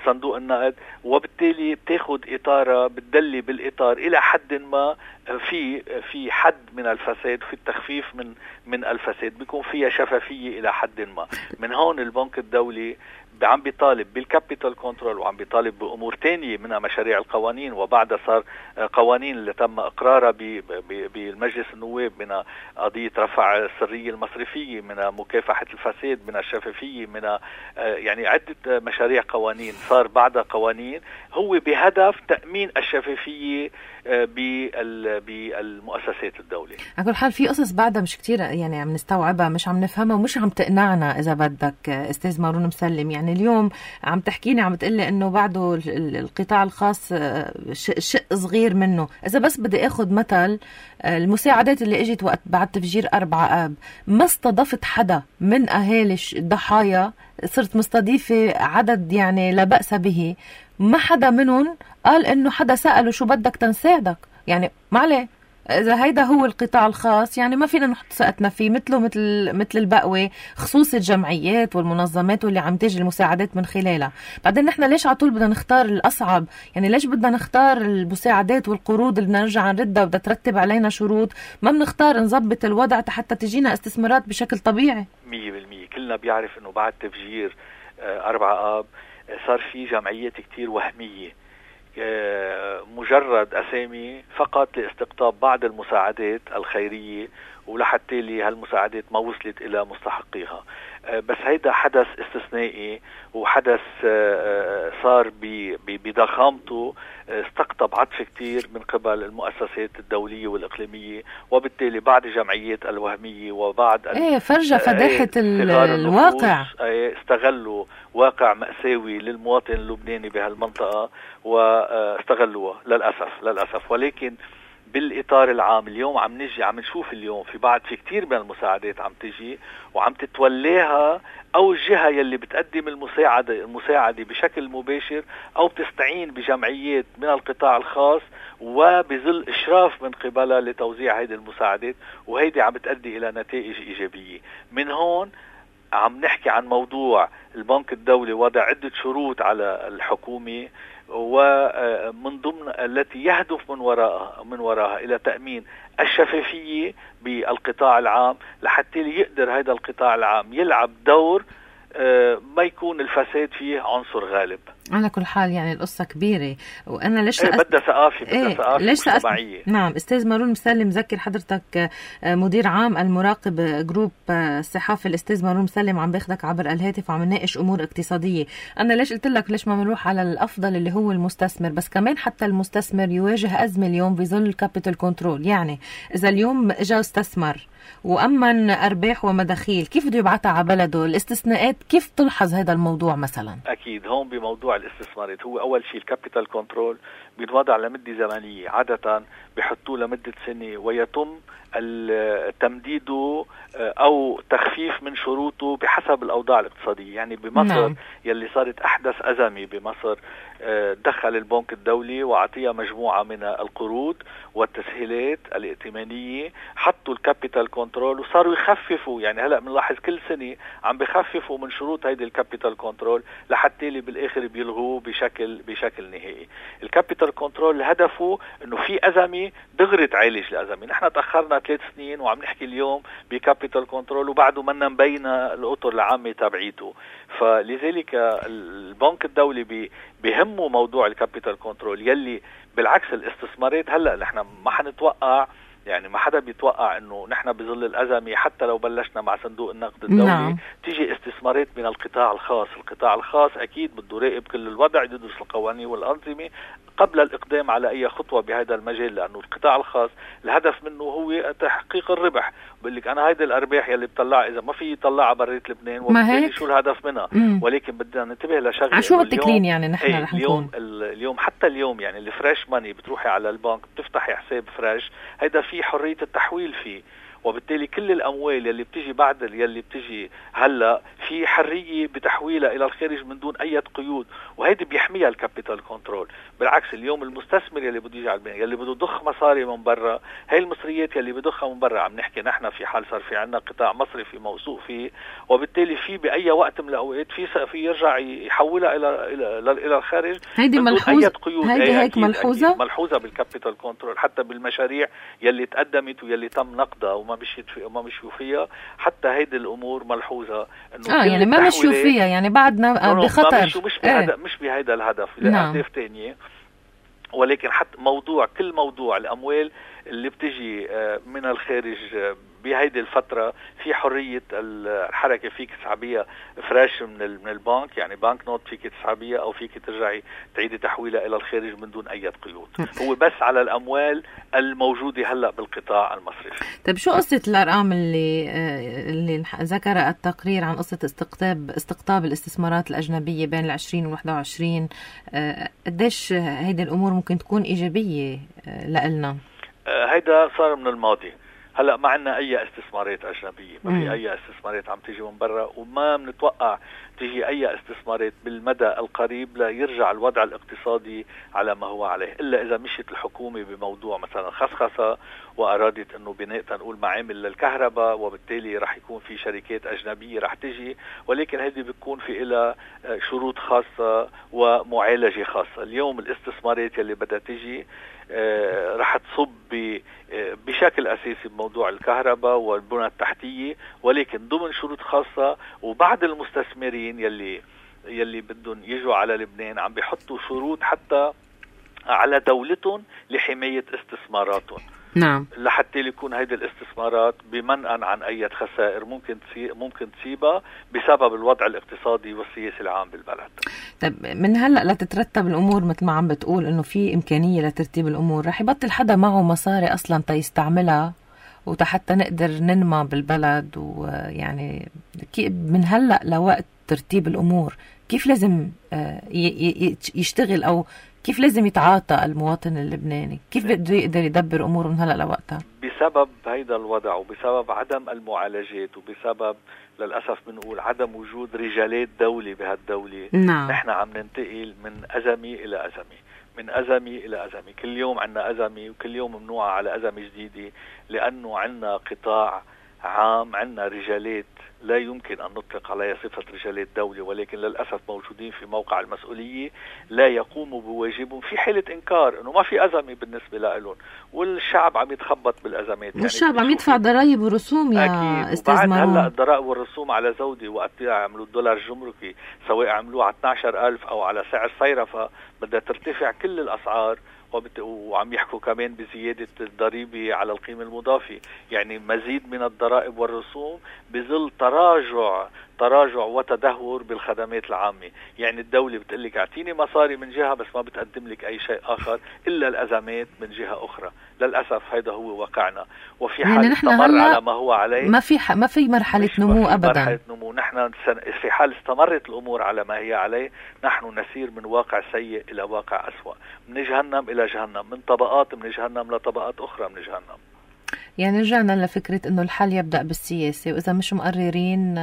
صندوق النقد، وبالتالي بتاخذ اطارها بتدلي بالاطار الى حد ما في في حد من الفساد، في التخفيف من من الفساد، بيكون فيها شفافيه الى حد ما. من هون البنك الدولي عم بيطالب بالكابيتال كنترول وعم بيطالب بأمور تانية منها مشاريع القوانين، وبعدها صار قوانين اللي تم إقرارها بالمجلس النواب، من قضية رفع السرية المصرفية، من مكافحة الفساد، من الشفافية، من يعني عدة مشاريع قوانين صار بعدها قوانين هو بهدف تأمين الشفافية بالمؤسسات الدولية. على كل حال في قصص بعدها مش كتير يعني عم نستوعبها، مش عم نفهمها ومش عم تقنعنا إذا بدك أستاذ مارون مسلم. يعني اليوم عم تحكيني عم تقلي إنه بعده القطاع الخاص شق صغير منه. إذا بس بدي أخذ مثل المساعدات اللي اجت وقت بعد تفجير أربعة آب، ما استضفت حدا من أهالي الضحايا، صرت مستضيفة عدد يعني لا بأس به، ما حدا منهم قال إنه حدا سأله شو بدك تنساعدك. يعني ما عليه، إذا هيدا هو القطاع الخاص يعني ما فينا نحط ثقتنا فيه، مثله مثل مثل البقوة، خصوص الجمعيات والمنظمات واللي عم تيجي المساعدات من خلالها. بعدين نحن ليش على طول بدنا نختار الأصعب؟ يعني ليش بدنا نختار المساعدات والقروض اللي بدنا نرجع نردها وبدها ترتب علينا شروط؟ ما بنختار نظبط الوضع حتى تجينا استثمارات بشكل طبيعي. مية بالمية كلنا بيعرف إنه بعد تفجير أربعة آب صار في جمعيات كتير وهمية، مجرد أسامي فقط لاستقطاب بعض المساعدات الخيرية، ولحتى لي هالمساعدات ما وصلت إلى مستحقيها. بس هيدا حدث استثنائي وحدث صار بضخامته استقطب عطف كتير من قبل المؤسسات الدولية والإقليمية، وبالتالي بعض الجمعيات الوهمية وبعض ايه فرجة فداحة الواقع استغلوا واقع مأساوي للمواطن اللبناني بهالمنطقة واستغلوها للأسف للأسف. ولكن بالإطار العام اليوم عم نجي عم نشوف اليوم في بعض في كتير من المساعدات عم تجي وعم تتولاها أو الجهة يلي بتقدم المساعدة المساعدة بشكل مباشر أو بتستعين بجمعيات من القطاع الخاص وبظل إشراف من قبلها لتوزيع هذه المساعدات، وهيدي عم بتؤدي إلى نتائج إيجابية. من هون عم نحكي عن موضوع البنك الدولي وضع عدة شروط على الحكومة، ومن ضمن التي يهدف من وراءها من وراءها إلى تأمين الشفافية بالقطاع العام، لحتى يقدر هذا القطاع العام يلعب دور ما يكون الفساد فيه عنصر غالب. على كل حال يعني القصة كبيرة، وأنا ليش ايه بدها ثقافة بدها ثقافة مجتمعية. نعم. أستاذ مارون مسلم، ذكر حضرتك مدير عام المراقب جروب الصحافة، الأستاذ مارون مسلم عم باخدك عبر الهاتف وعم نناقش أمور اقتصادية. أنا ليش قلت لك ليش ما بنروح على الأفضل اللي هو المستثمر، بس كمان حتى المستثمر يواجه أزمة اليوم بظل الكابيتال كنترول. يعني إذا اليوم إجا استثمر وأمن أرباح ومداخيل، كيف بده يبعتها على بلده؟ الاستثناءات كيف تلحظ هذا الموضوع مثلا؟ أكيد هون بموضوع الاستثمارات هو أول شيء الكابيتال كنترول بينوضع لمدة زمنية، عادة بيحطوه لمدة سنة، ويتم تمديده أو تخفيف من شروطه بحسب الأوضاع الاقتصادية. يعني بمصر نعم. يلي صارت أحدث أزمة بمصر، دخل البنك الدولي وعطيها مجموعة من القروض والتسهيلات الائتمانية، حطوا الكابيتال كنترول وصاروا يخففوا. يعني هلأ بنلاحظ كل سنة عم بخففوا من شروط هيدي الكابيتال كنترول لحتى اللي بالآخر بيلغوه بشكل بشكل نهائي. الكابيتال كنترول هدفه إنه في أزمة دغري تعالج الأزمة. نحن تأخرنا ثلاث سنين وعم نحكي اليوم بكابيتال كنترول وبعده منا مبينة الأطر العامة تبعيته. فلذلك البنك الدولي بي بهمه موضوع الكابيتال كنترول، يلي بالعكس الاستثمارات هلأ نحن ما حنتوقع، يعني ما حدا بيتوقع انه نحن بظل الازمه حتى لو بلشنا مع صندوق النقد الدولي نعم. تيجي استثمارات من القطاع الخاص. القطاع الخاص اكيد بده يراقب كل الوضع، يدرس القوانين والانظمه قبل الاقدام على اي خطوه بهذا المجال، لانه القطاع الخاص الهدف منه هو تحقيق الربح. بقول لك انا هيدي الارباح يلي بتطلع اذا ما في يطلعها بريت لبنان، وبالتالي شو الهدف منها؟ مم. ولكن بدنا ننتبه لشغله، عشو متكلين يعني نحن ايه رح اليوم نكون اليوم حتى اليوم يعني الفريش ماني بتروحي على البنك بتفتحي حساب فريش، هيدا في حريه التحويل فيه، وبالتالي كل الأموال يلي بتجي بعد يلي بتجي هلا في حرية بتحويلها إلى الخارج من دون أي قيود، وهيدي بيحميها الكابيتال كنترول. بالعكس اليوم المستثمر يلي بده يجي على البنك يلي بده يضخ مصاري من برا، هاي المصريات يلي بدخها من برا، عم نحكي نحن في حال صار في عنا قطاع مصرفي موثوق فيه، وبالتالي في بأي وقت من الأوقات في في يرجع يحولها إلى إلى إلى الخارج. هيدي ملحوظة، هيدي هيك ملحوظة ملحوظة بالكابيتال كنترول، حتى بالمشاريع يلي تقدمت ويلي تم نقدها وما مشيت وما مشيوا فيها، حتى هيدي الامور ملحوظه انه اه يعني ما مشيوا فيها، يعني بعدنا بخطر، مش مش بهذا ايه. مش بهذا الهدف لاهداف ثانيه. ولكن حتى موضوع كل موضوع الاموال اللي بتجي من الخارج بهيدي الفترة في حرية الحركة، فيك تسحبيها فريش من من البنك، يعني بنك نوت فيك تسحبيها أو فيك ترجعي تعيدي تحويلها إلى الخارج من دون أي قيود. هو بس على الأموال الموجودة هلأ بالقطاع المصرفي. طيب شو قصة الأرقام اللي اللي ذكر التقرير عن قصة استقطاب استقطاب الاستثمارات الأجنبية بين العشرين والواحد وعشرين؟ قديش هيدي الأمور ممكن تكون إيجابية لإلنا؟ هيدا صار من الماضي. هلا ما عندنا اي استثمارات اجنبيه، ما في اي استثمارات عم تيجي من برا، وما بنتوقع تيجي اي استثمارات بالمدى القريب ليرجع الوضع الاقتصادي على ما هو عليه، الا اذا مشيت الحكومه بموضوع مثلا خصخصه وارادت انه بناء تنقول معامل للكهرباء، وبالتالي راح يكون في شركات اجنبيه راح تجي، ولكن هذه بتكون في لها شروط خاصه ومعالجه خاصه. اليوم الاستثمارات اللي بدها تجي آه رح تصب بشكل أساسي بموضوع الكهرباء والبنى التحتية، ولكن ضمن شروط خاصة. وبعض المستثمرين يلي يلي بدهم يجوا على لبنان عم بيحطوا شروط حتى على دولتهم لحماية استثماراتهم. نعم. لحتى يكون هيدي الاستثمارات بمنأى عن أي خسائر ممكن ممكن تصيبها بسبب الوضع الاقتصادي والسياسي العام بالبلد. طيب من هلأ لتترتب الأمور مثل ما عم بتقول إنه في إمكانية لترتيب الأمور، رح يبطل حدا معه مصاري أصلا تيستعملها وحتى نقدر ننمى بالبلد. ويعني من هلأ لوقت ترتيب الأمور كيف لازم يشتغل أو كيف لازم يتعاطى المواطن اللبناني؟ كيف بده يقدر يدبر أموره من هلأ لوقتها؟ بسبب هيدا الوضع وبسبب عدم المعالجات وبسبب للأسف بنقول عدم وجود رجالات دولة بهالدولة. نعم. نحن عم ننتقل من أزمة إلى أزمة، من أزمة إلى أزمة، كل يوم عنا أزمة وكل يوم ممنوعة على أزمة جديدة، لأنه عنا قطاع عام، عنا رجالات لا يمكن أن نطلق عليها صفة رجال الدولة، ولكن للأسف موجودين في موقع المسؤولية لا يقوموا بواجبهم في حالة إنكار أنه ما في أزمة بالنسبة لهم، والشعب عم يتخبط بالأزمات. والشعب يعني عم يدفع ضرائب ورسوم يا أكيد. أستاذ مارون. هلا الضرائب والرسوم على زودة وقت عملوا الدولار الجمركي، سواء عملوه على اثني عشر ألف أو على سعر صيرفة، بدها ترتفع كل الأسعار، وعم يحكوا كمان بزيادة الضريبة على القيمة المضافة. يعني مزيد من الضرائب والرسوم بظل تراجع تراجع وتدهور بالخدمات العامة. يعني الدولة بتقلك اعطيني مصاري من جهة بس ما بتقدم لك أي شيء آخر إلا الأزمات من جهة أخرى. للأسف هذا هو واقعنا، وفي حال يعني استمر على ما هو عليه ما في ح... ما في مرحلة نمو ما في أبدا. مرحلة نمو. نحن في حال استمرت الأمور على ما هي عليه نحن نسير من واقع سيء إلى واقع أسوأ، من جهنم إلى جهنم، من طبقات من جهنم لطبقات أخرى من جهنم. يعني رجعنا لفكرة إنه الحل يبدأ بالسياسة، وإذا مش مقررين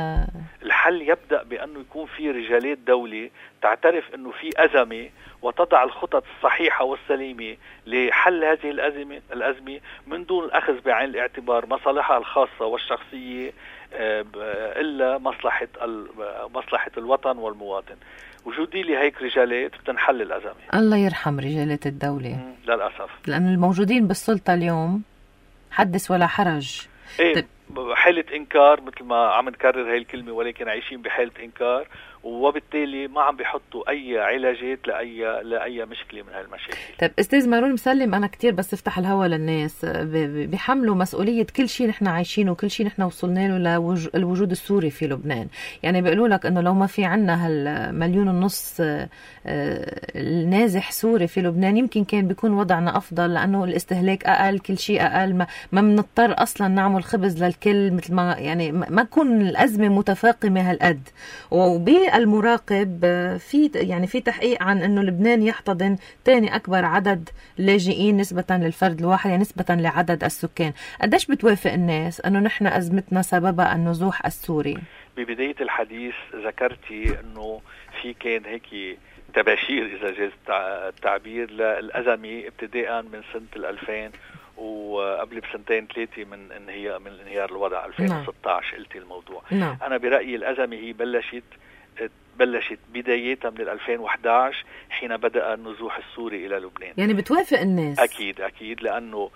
الحل يبدأ بأنه يكون في رجالات دولة تعترف أنه في أزمة وتضع الخطط الصحيحة والسليمة لحل هذه الأزمة الأزمة من دون الأخذ بعين الاعتبار مصالحها الخاصة والشخصية إلا مصلحة مصلحة الوطن والمواطن. وجودي لي هيك رجالات بتنحل الأزمة. الله يرحم رجالات الدولة للأسف، لأن الموجودين بالسلطة اليوم حدث ولا حرج. إيه حالة إنكار، مثل ما عم نكرر هاي الكلمة، ولكن عايشين بحالة إنكار، وبالتالي ما عم بيحطوا أي علاجات لأي لأي مشكلة من هالمشاكل. طيب أستاذ مارون مسلم، أنا كتير بس افتح الهوا للناس، بيحملوا مسؤولية كل شيء نحن عايشينه وكل شيء نحن وصلنا له للوجود السوري في لبنان. يعني بيقولوا لك إنه لو ما في عنا هالمليون ونص النازح سوري في لبنان يمكن كان بيكون وضعنا أفضل، لأنه الاستهلاك أقل، كل شيء أقل، ما ما بنضطر أصلا نعمل خبز للكل، مثل ما يعني ما تكون الأزمة متفاقمة هالقد. وبي المراقب في يعني في تحقيق عن انه لبنان يحتضن ثاني اكبر عدد لاجئين نسبة للفرد الواحد، يعني نسبة لعدد السكان. قديش بتوافق الناس انه نحن ازمتنا سببها النزوح السوري؟ ببداية الحديث ذكرتي انه في كان هيك تباشير اذا جاز التعبير للازمة ابتداء من سنة الألفين وقبل بسنتين ثلاثة من انهيار من انهيار الوضع ألفين وستة عشر. قلتي الموضوع. نعم. انا برأيي الازمة هي بلشت بلشت بدايتها من ألفين وإحدى عشر حين بدأ النزوح السوري إلى لبنان. يعني بتوافق الناس؟ أكيد أكيد، لأنه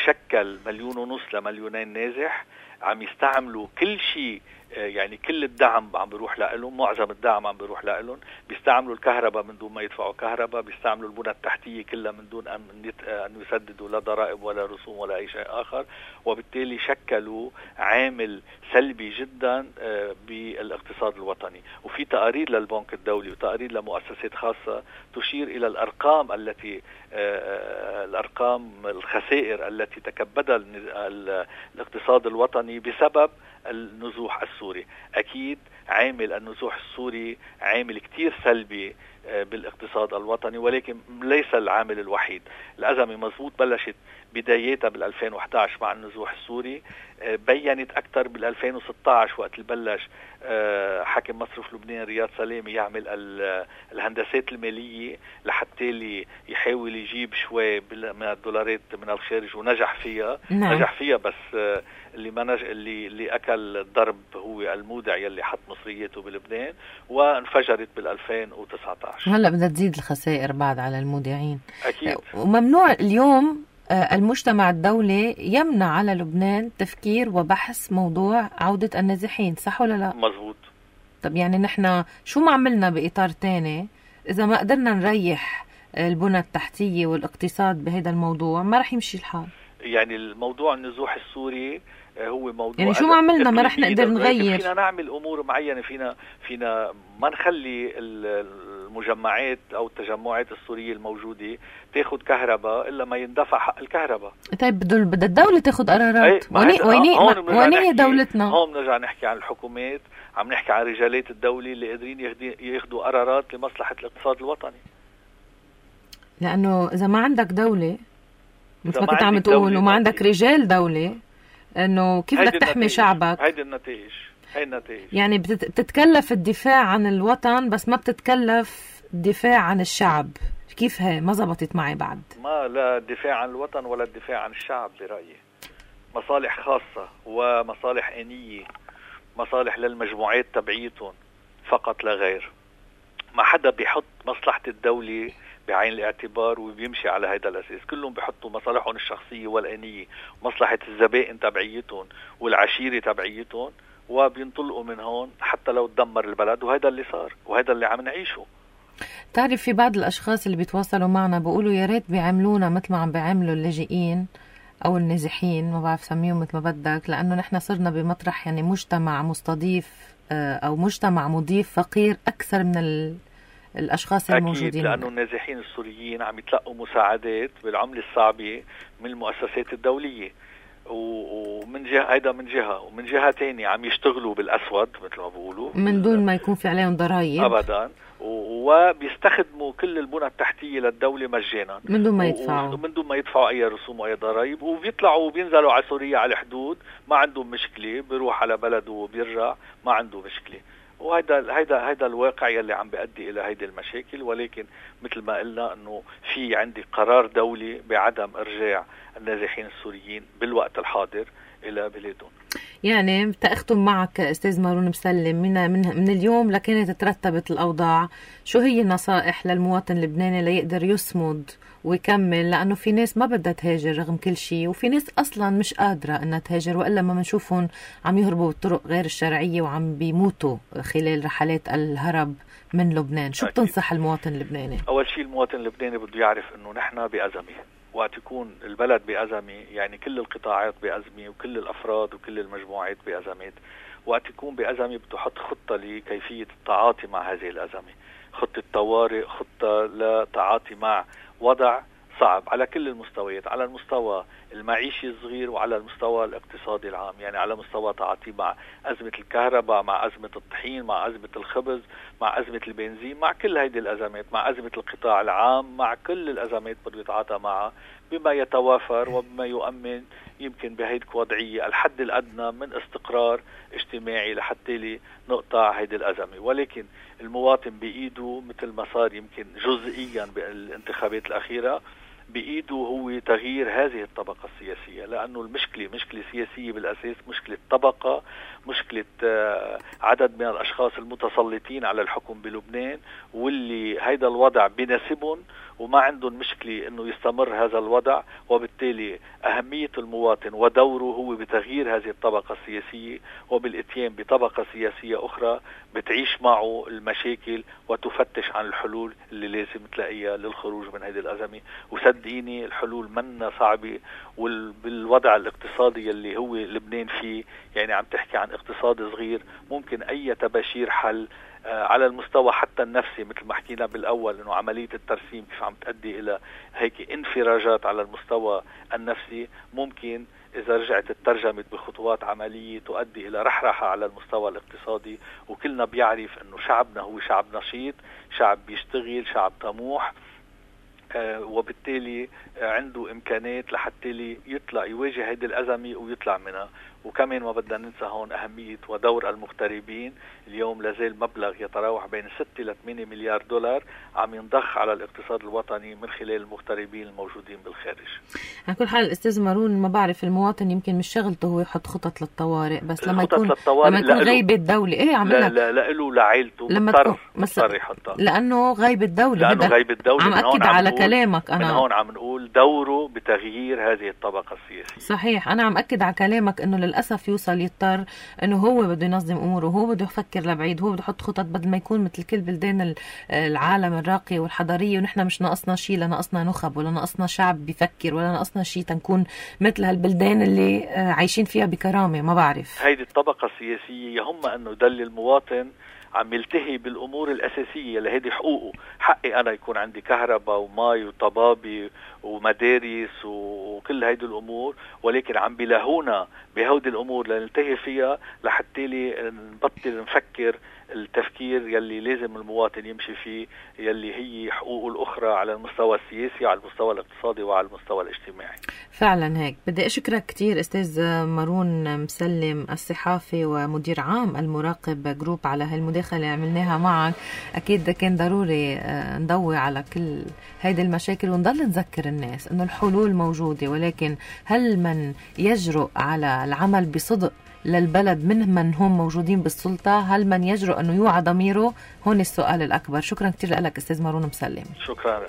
شكل مليون ونص لمليونين نازح، عم يستعملوا كل شيء، يعني كل الدعم عم بيروح لهم، معظم الدعم عم بيروح لهم، بيستعملوا الكهرباء من دون ما يدفعوا كهرباء، بيستعملوا البنى التحتية كلها من دون أن يسددوا لا ضرائب ولا رسوم ولا أي شيء آخر، وبالتالي شكلوا عامل سلبي جدا بالاقتصاد الوطني. وفي تقارير للبنك الدولي وتقارير لمؤسسات خاصة تشير إلى الأرقام التي الأرقام الخسائر التي تكبدها الاقتصاد الوطني بسبب النزوح السوري. أكيد عامل النزوح السوري عامل كتير سلبي بالاقتصاد الوطني، ولكن ليس العامل الوحيد. الأزمة مزبوط بلشت بدايتها بالألفين وإحدى عشر مع النزوح السوري، بيّنت أكثر بالألفين وستة عشر وقت البلش حاكم مصرف لبنان رياض سلامي يعمل الهندسات المالية لحتى لي يحاول يجيب شوي من الدولارات من الخارج، ونجح فيها. نعم. نجح فيها، بس اللي ما نج... اللي اللي أكل الضرب هو المودع يلي حط مصرياته بلبنان، وانفجرت بالألفين وتسعة عشر. هلا بدها تزيد الخسائر بعد على المودعين. أكيد. وممنوع اليوم المجتمع الدولي يمنع على لبنان تفكير وبحث موضوع عودة النازحين، صح ولا لا؟ مزبوط. طب يعني نحن شو ما عملنا بإطار تاني إذا ما قدرنا نريح البنى التحتية والاقتصاد بهذا الموضوع ما رح يمشي الحال. يعني الموضوع النزوح السوري هو موضوع، يعني شو ما عملنا ما رح نقدر نغير. فينا نعمل أمور معينة، فينا فينا ما نخلي المجمعات أو التجمعات السورية الموجودة تاخد كهرباء إلا ما يندفع حق الكهرباء. طيب بدها الدولة تاخد قرارات. وين وين هي دولتنا؟ هون نرجع نحكي عن الحكومات، عم نحكي عن رجالات الدولة اللي قادرين ياخدوا قرارات لمصلحة الاقتصاد الوطني. لأنه إذا ما عندك دولة مثل ما كنت عم تقول وما عندك رجال دولة، انه كيف بدك تحمي شعبك؟ هيدي النتائج هي النتائج. يعني بتتكلف الدفاع عن الوطن بس ما بتتكلف الدفاع عن الشعب. كيف هي ما زبطت معي بعد؟ ما لا الدفاع عن الوطن ولا الدفاع عن الشعب برأيي. مصالح خاصة ومصالح آنية مصالح للمجموعات تبعيتهم فقط لا غير. ما حدا بيحط مصلحة الدولة بعين الاعتبار وبيمشي على هذا الأساس. كلهم بيحطوا مصالحهم الشخصية والآنية، مصلحة الزبائن تبعيتهم والعشيرة تبعيتهم، وبينطلقوا من هون حتى لو تدمر البلد. وهذا اللي صار وهذا اللي عم نعيشه. تعرف في بعض الأشخاص اللي بيتواصلوا معنا بيقولوا يا ريت بيعملونا مثل ما عم بيعملوا اللاجئين أو النازحين، ما بعرف سميهم مثل ما بدك، لأنه نحن صرنا بمطرح يعني مجتمع مستضيف أو مجتمع مضيف فقير أكثر من ال الأشخاص الموجودين. أكيد، لأنه النازحين السوريين عم يتلقوا مساعدات بالعملة الصعبة من المؤسسات الدولية، ومن جهة هيدا من جهة، ومن جهة تانية عم يشتغلوا بالأسود مثل ما بقولوا من دون ما يكون في عليهم ضرائب أبدا، وبيستخدموا كل البنى التحتية للدولة مجانا من دون ما يدفعوا من دون ما يدفعوا أي رسوم وأي ضرائب، وبيطلعوا وبينزلوا على سوريا على الحدود ما عندهم مشكلة، بيروح على بلده وبيرجع ما عنده مشكلة. وهذا هيدا هيدا الواقع يلي عم بيؤدي الى هيدي المشاكل. ولكن مثل ما قلنا انه في عندي قرار دولي بعدم ارجاع النازحين السوريين بالوقت الحاضر الى بلادهم. يعني تأختم معك استاذ مارون مسلم، من من من اليوم لكانت ترتبت الاوضاع، شو هي النصائح للمواطن اللبناني ليقدر يصمد ويكمل؟ لأنه في ناس ما بدها تهاجر رغم كل شيء، وفي ناس أصلا مش قادرة أنها تهاجر، وإلا ما منشوفهم عم يهربوا بالطرق غير الشرعية وعم بيموتوا خلال رحلات الهرب من لبنان. شو بتنصح المواطن اللبناني؟ أول شيء المواطن اللبناني بده يعرف أنه نحن بأزمة، وقت يكون البلد بأزمة يعني كل القطاعات بأزمة وكل الأفراد وكل المجموعات بأزمات. وقت يكون بأزمة بده يحط خطة لكيفية التعاطي مع هذه الأزمة، خطة طوارئ، خطة لتعاطي مع وضع صعب على كل المستويات، على المستوى المعيشي الصغير وعلى المستوى الاقتصادي العام. يعني على مستوى تعاطي مع أزمة الكهرباء، مع أزمة الطحين، مع أزمة الخبز، مع أزمة البنزين، مع كل هذه الأزمات، مع أزمة القطاع العام، مع كل الأزمات بده يتعاطى معها بما يتوافر وبما يؤمن يمكن بهيدك وضعية الحد الأدنى من استقرار اجتماعي لحتى نقطع هيدي الأزمة. ولكن المواطن بإيده مثل ما صار يمكن جزئيا بالانتخابات الأخيرة، بإيده هو تغيير هذه الطبقة السياسية، لأنه المشكلة مشكلة سياسية بالأساس، مشكلة طبقة، مشكلة عدد من الأشخاص المتسلطين على الحكم بلبنان، واللي هيدا الوضع بيناسبهم وما عندهم مشكلة أنه يستمر هذا الوضع. وبالتالي أهمية المواطن ودوره هو بتغيير هذه الطبقة السياسية وبالإتيان بطبقة سياسية أخرى بتعيش معه المشاكل وتفتش عن الحلول اللي لازم تلاقيها للخروج من هذه الأزمة. وصدقيني الحلول منا صعبة، وبالوضع الاقتصادي اللي هو لبنان فيه، يعني عم تحكي عن اقتصاد صغير، ممكن أي تباشير حل على المستوى حتى النفسي مثل ما حكينا بالأول، إنه عملية الترسيم كيف عم تؤدي إلى هيك انفراجات على المستوى النفسي، ممكن إذا رجعت الترجمة بخطوات عملية تؤدي إلى رحرحة على المستوى الاقتصادي. وكلنا بيعرف إنه شعبنا هو شعب نشيط، شعب بيشتغل، شعب طموح، آه وبالتالي آه عنده إمكانات لحتى يطلع يواجه هذه الأزمة ويطلع منها. وكمان ما بدنا ننسى هون أهمية ودور المغتربين. اليوم لازال مبلغ يتراوح بين ستة إلى ثمانية مليار دولار عم ينضخ على الاقتصاد الوطني من خلال المغتربين الموجودين بالخارج. على كل حال أستاذ مارون، ما بعرف المواطن يمكن مش شغلته هو يحط خطط للطوارئ، بس لما يكون لما يكون غيب الدولة إيه عم لا لا لا له لعائلته مضطر مضطر يحطها، لأنه غيب الدولة. لأنه غيب الدولة. عم أكد على كلامك أنا، من هون عم نقول دوره بتغيير هذه الطبقة السياسية. صحيح، أنا عم أكد على كلامك إنه للأسف يوصل يضطر إنه هو بده ينظم أموره، هو بده يفكر لبعيد، هو بده يحط خطط بدل ما يكون مثل كل بلدان العالم الراقية والحضارية ونحن مش ناقصنا شيء، لا ناقصنا نخب ولا ناقصنا شعب بيفكر ولا ناقصنا شيء تنكون مثل هالبلدان اللي عايشين فيها بكرامة. ما بعرف هيدي الطبقة السياسية يهم أنه يدل المواطن عم يلتهي بالأمور الأساسية اللي هيدي حقوقه. حقي أنا يكون عندي كهرباء وماء وطبابي ومدارس وكل هيدي الأمور، ولكن عم بيلاهونا بهودي الأمور لنلتهي فيها لحتى لي نبطل نفكر التفكير يلي لازم المواطن يمشي فيه، يلي هي حقوقه الأخرى على المستوى السياسي وعلى المستوى الاقتصادي وعلى المستوى الاجتماعي. فعلا هيك. بدي أشكرك كتير أستاذ مارون مسلم الصحافي ومدير عام المراقب جروب على هالمداخلة اللي عملناها معك. أكيد كان ضروري نضوي على كل هيدي المشاكل ونضل نذكر الناس أنه الحلول موجودة، ولكن هل من يجرؤ على العمل بصدق للبلد من من هم موجودين بالسلطة؟ هل من يجرؤ أنه يوعى ضميره؟ هون السؤال الأكبر. شكرا كتير لك أستاذ مارون مسلم. شكرا.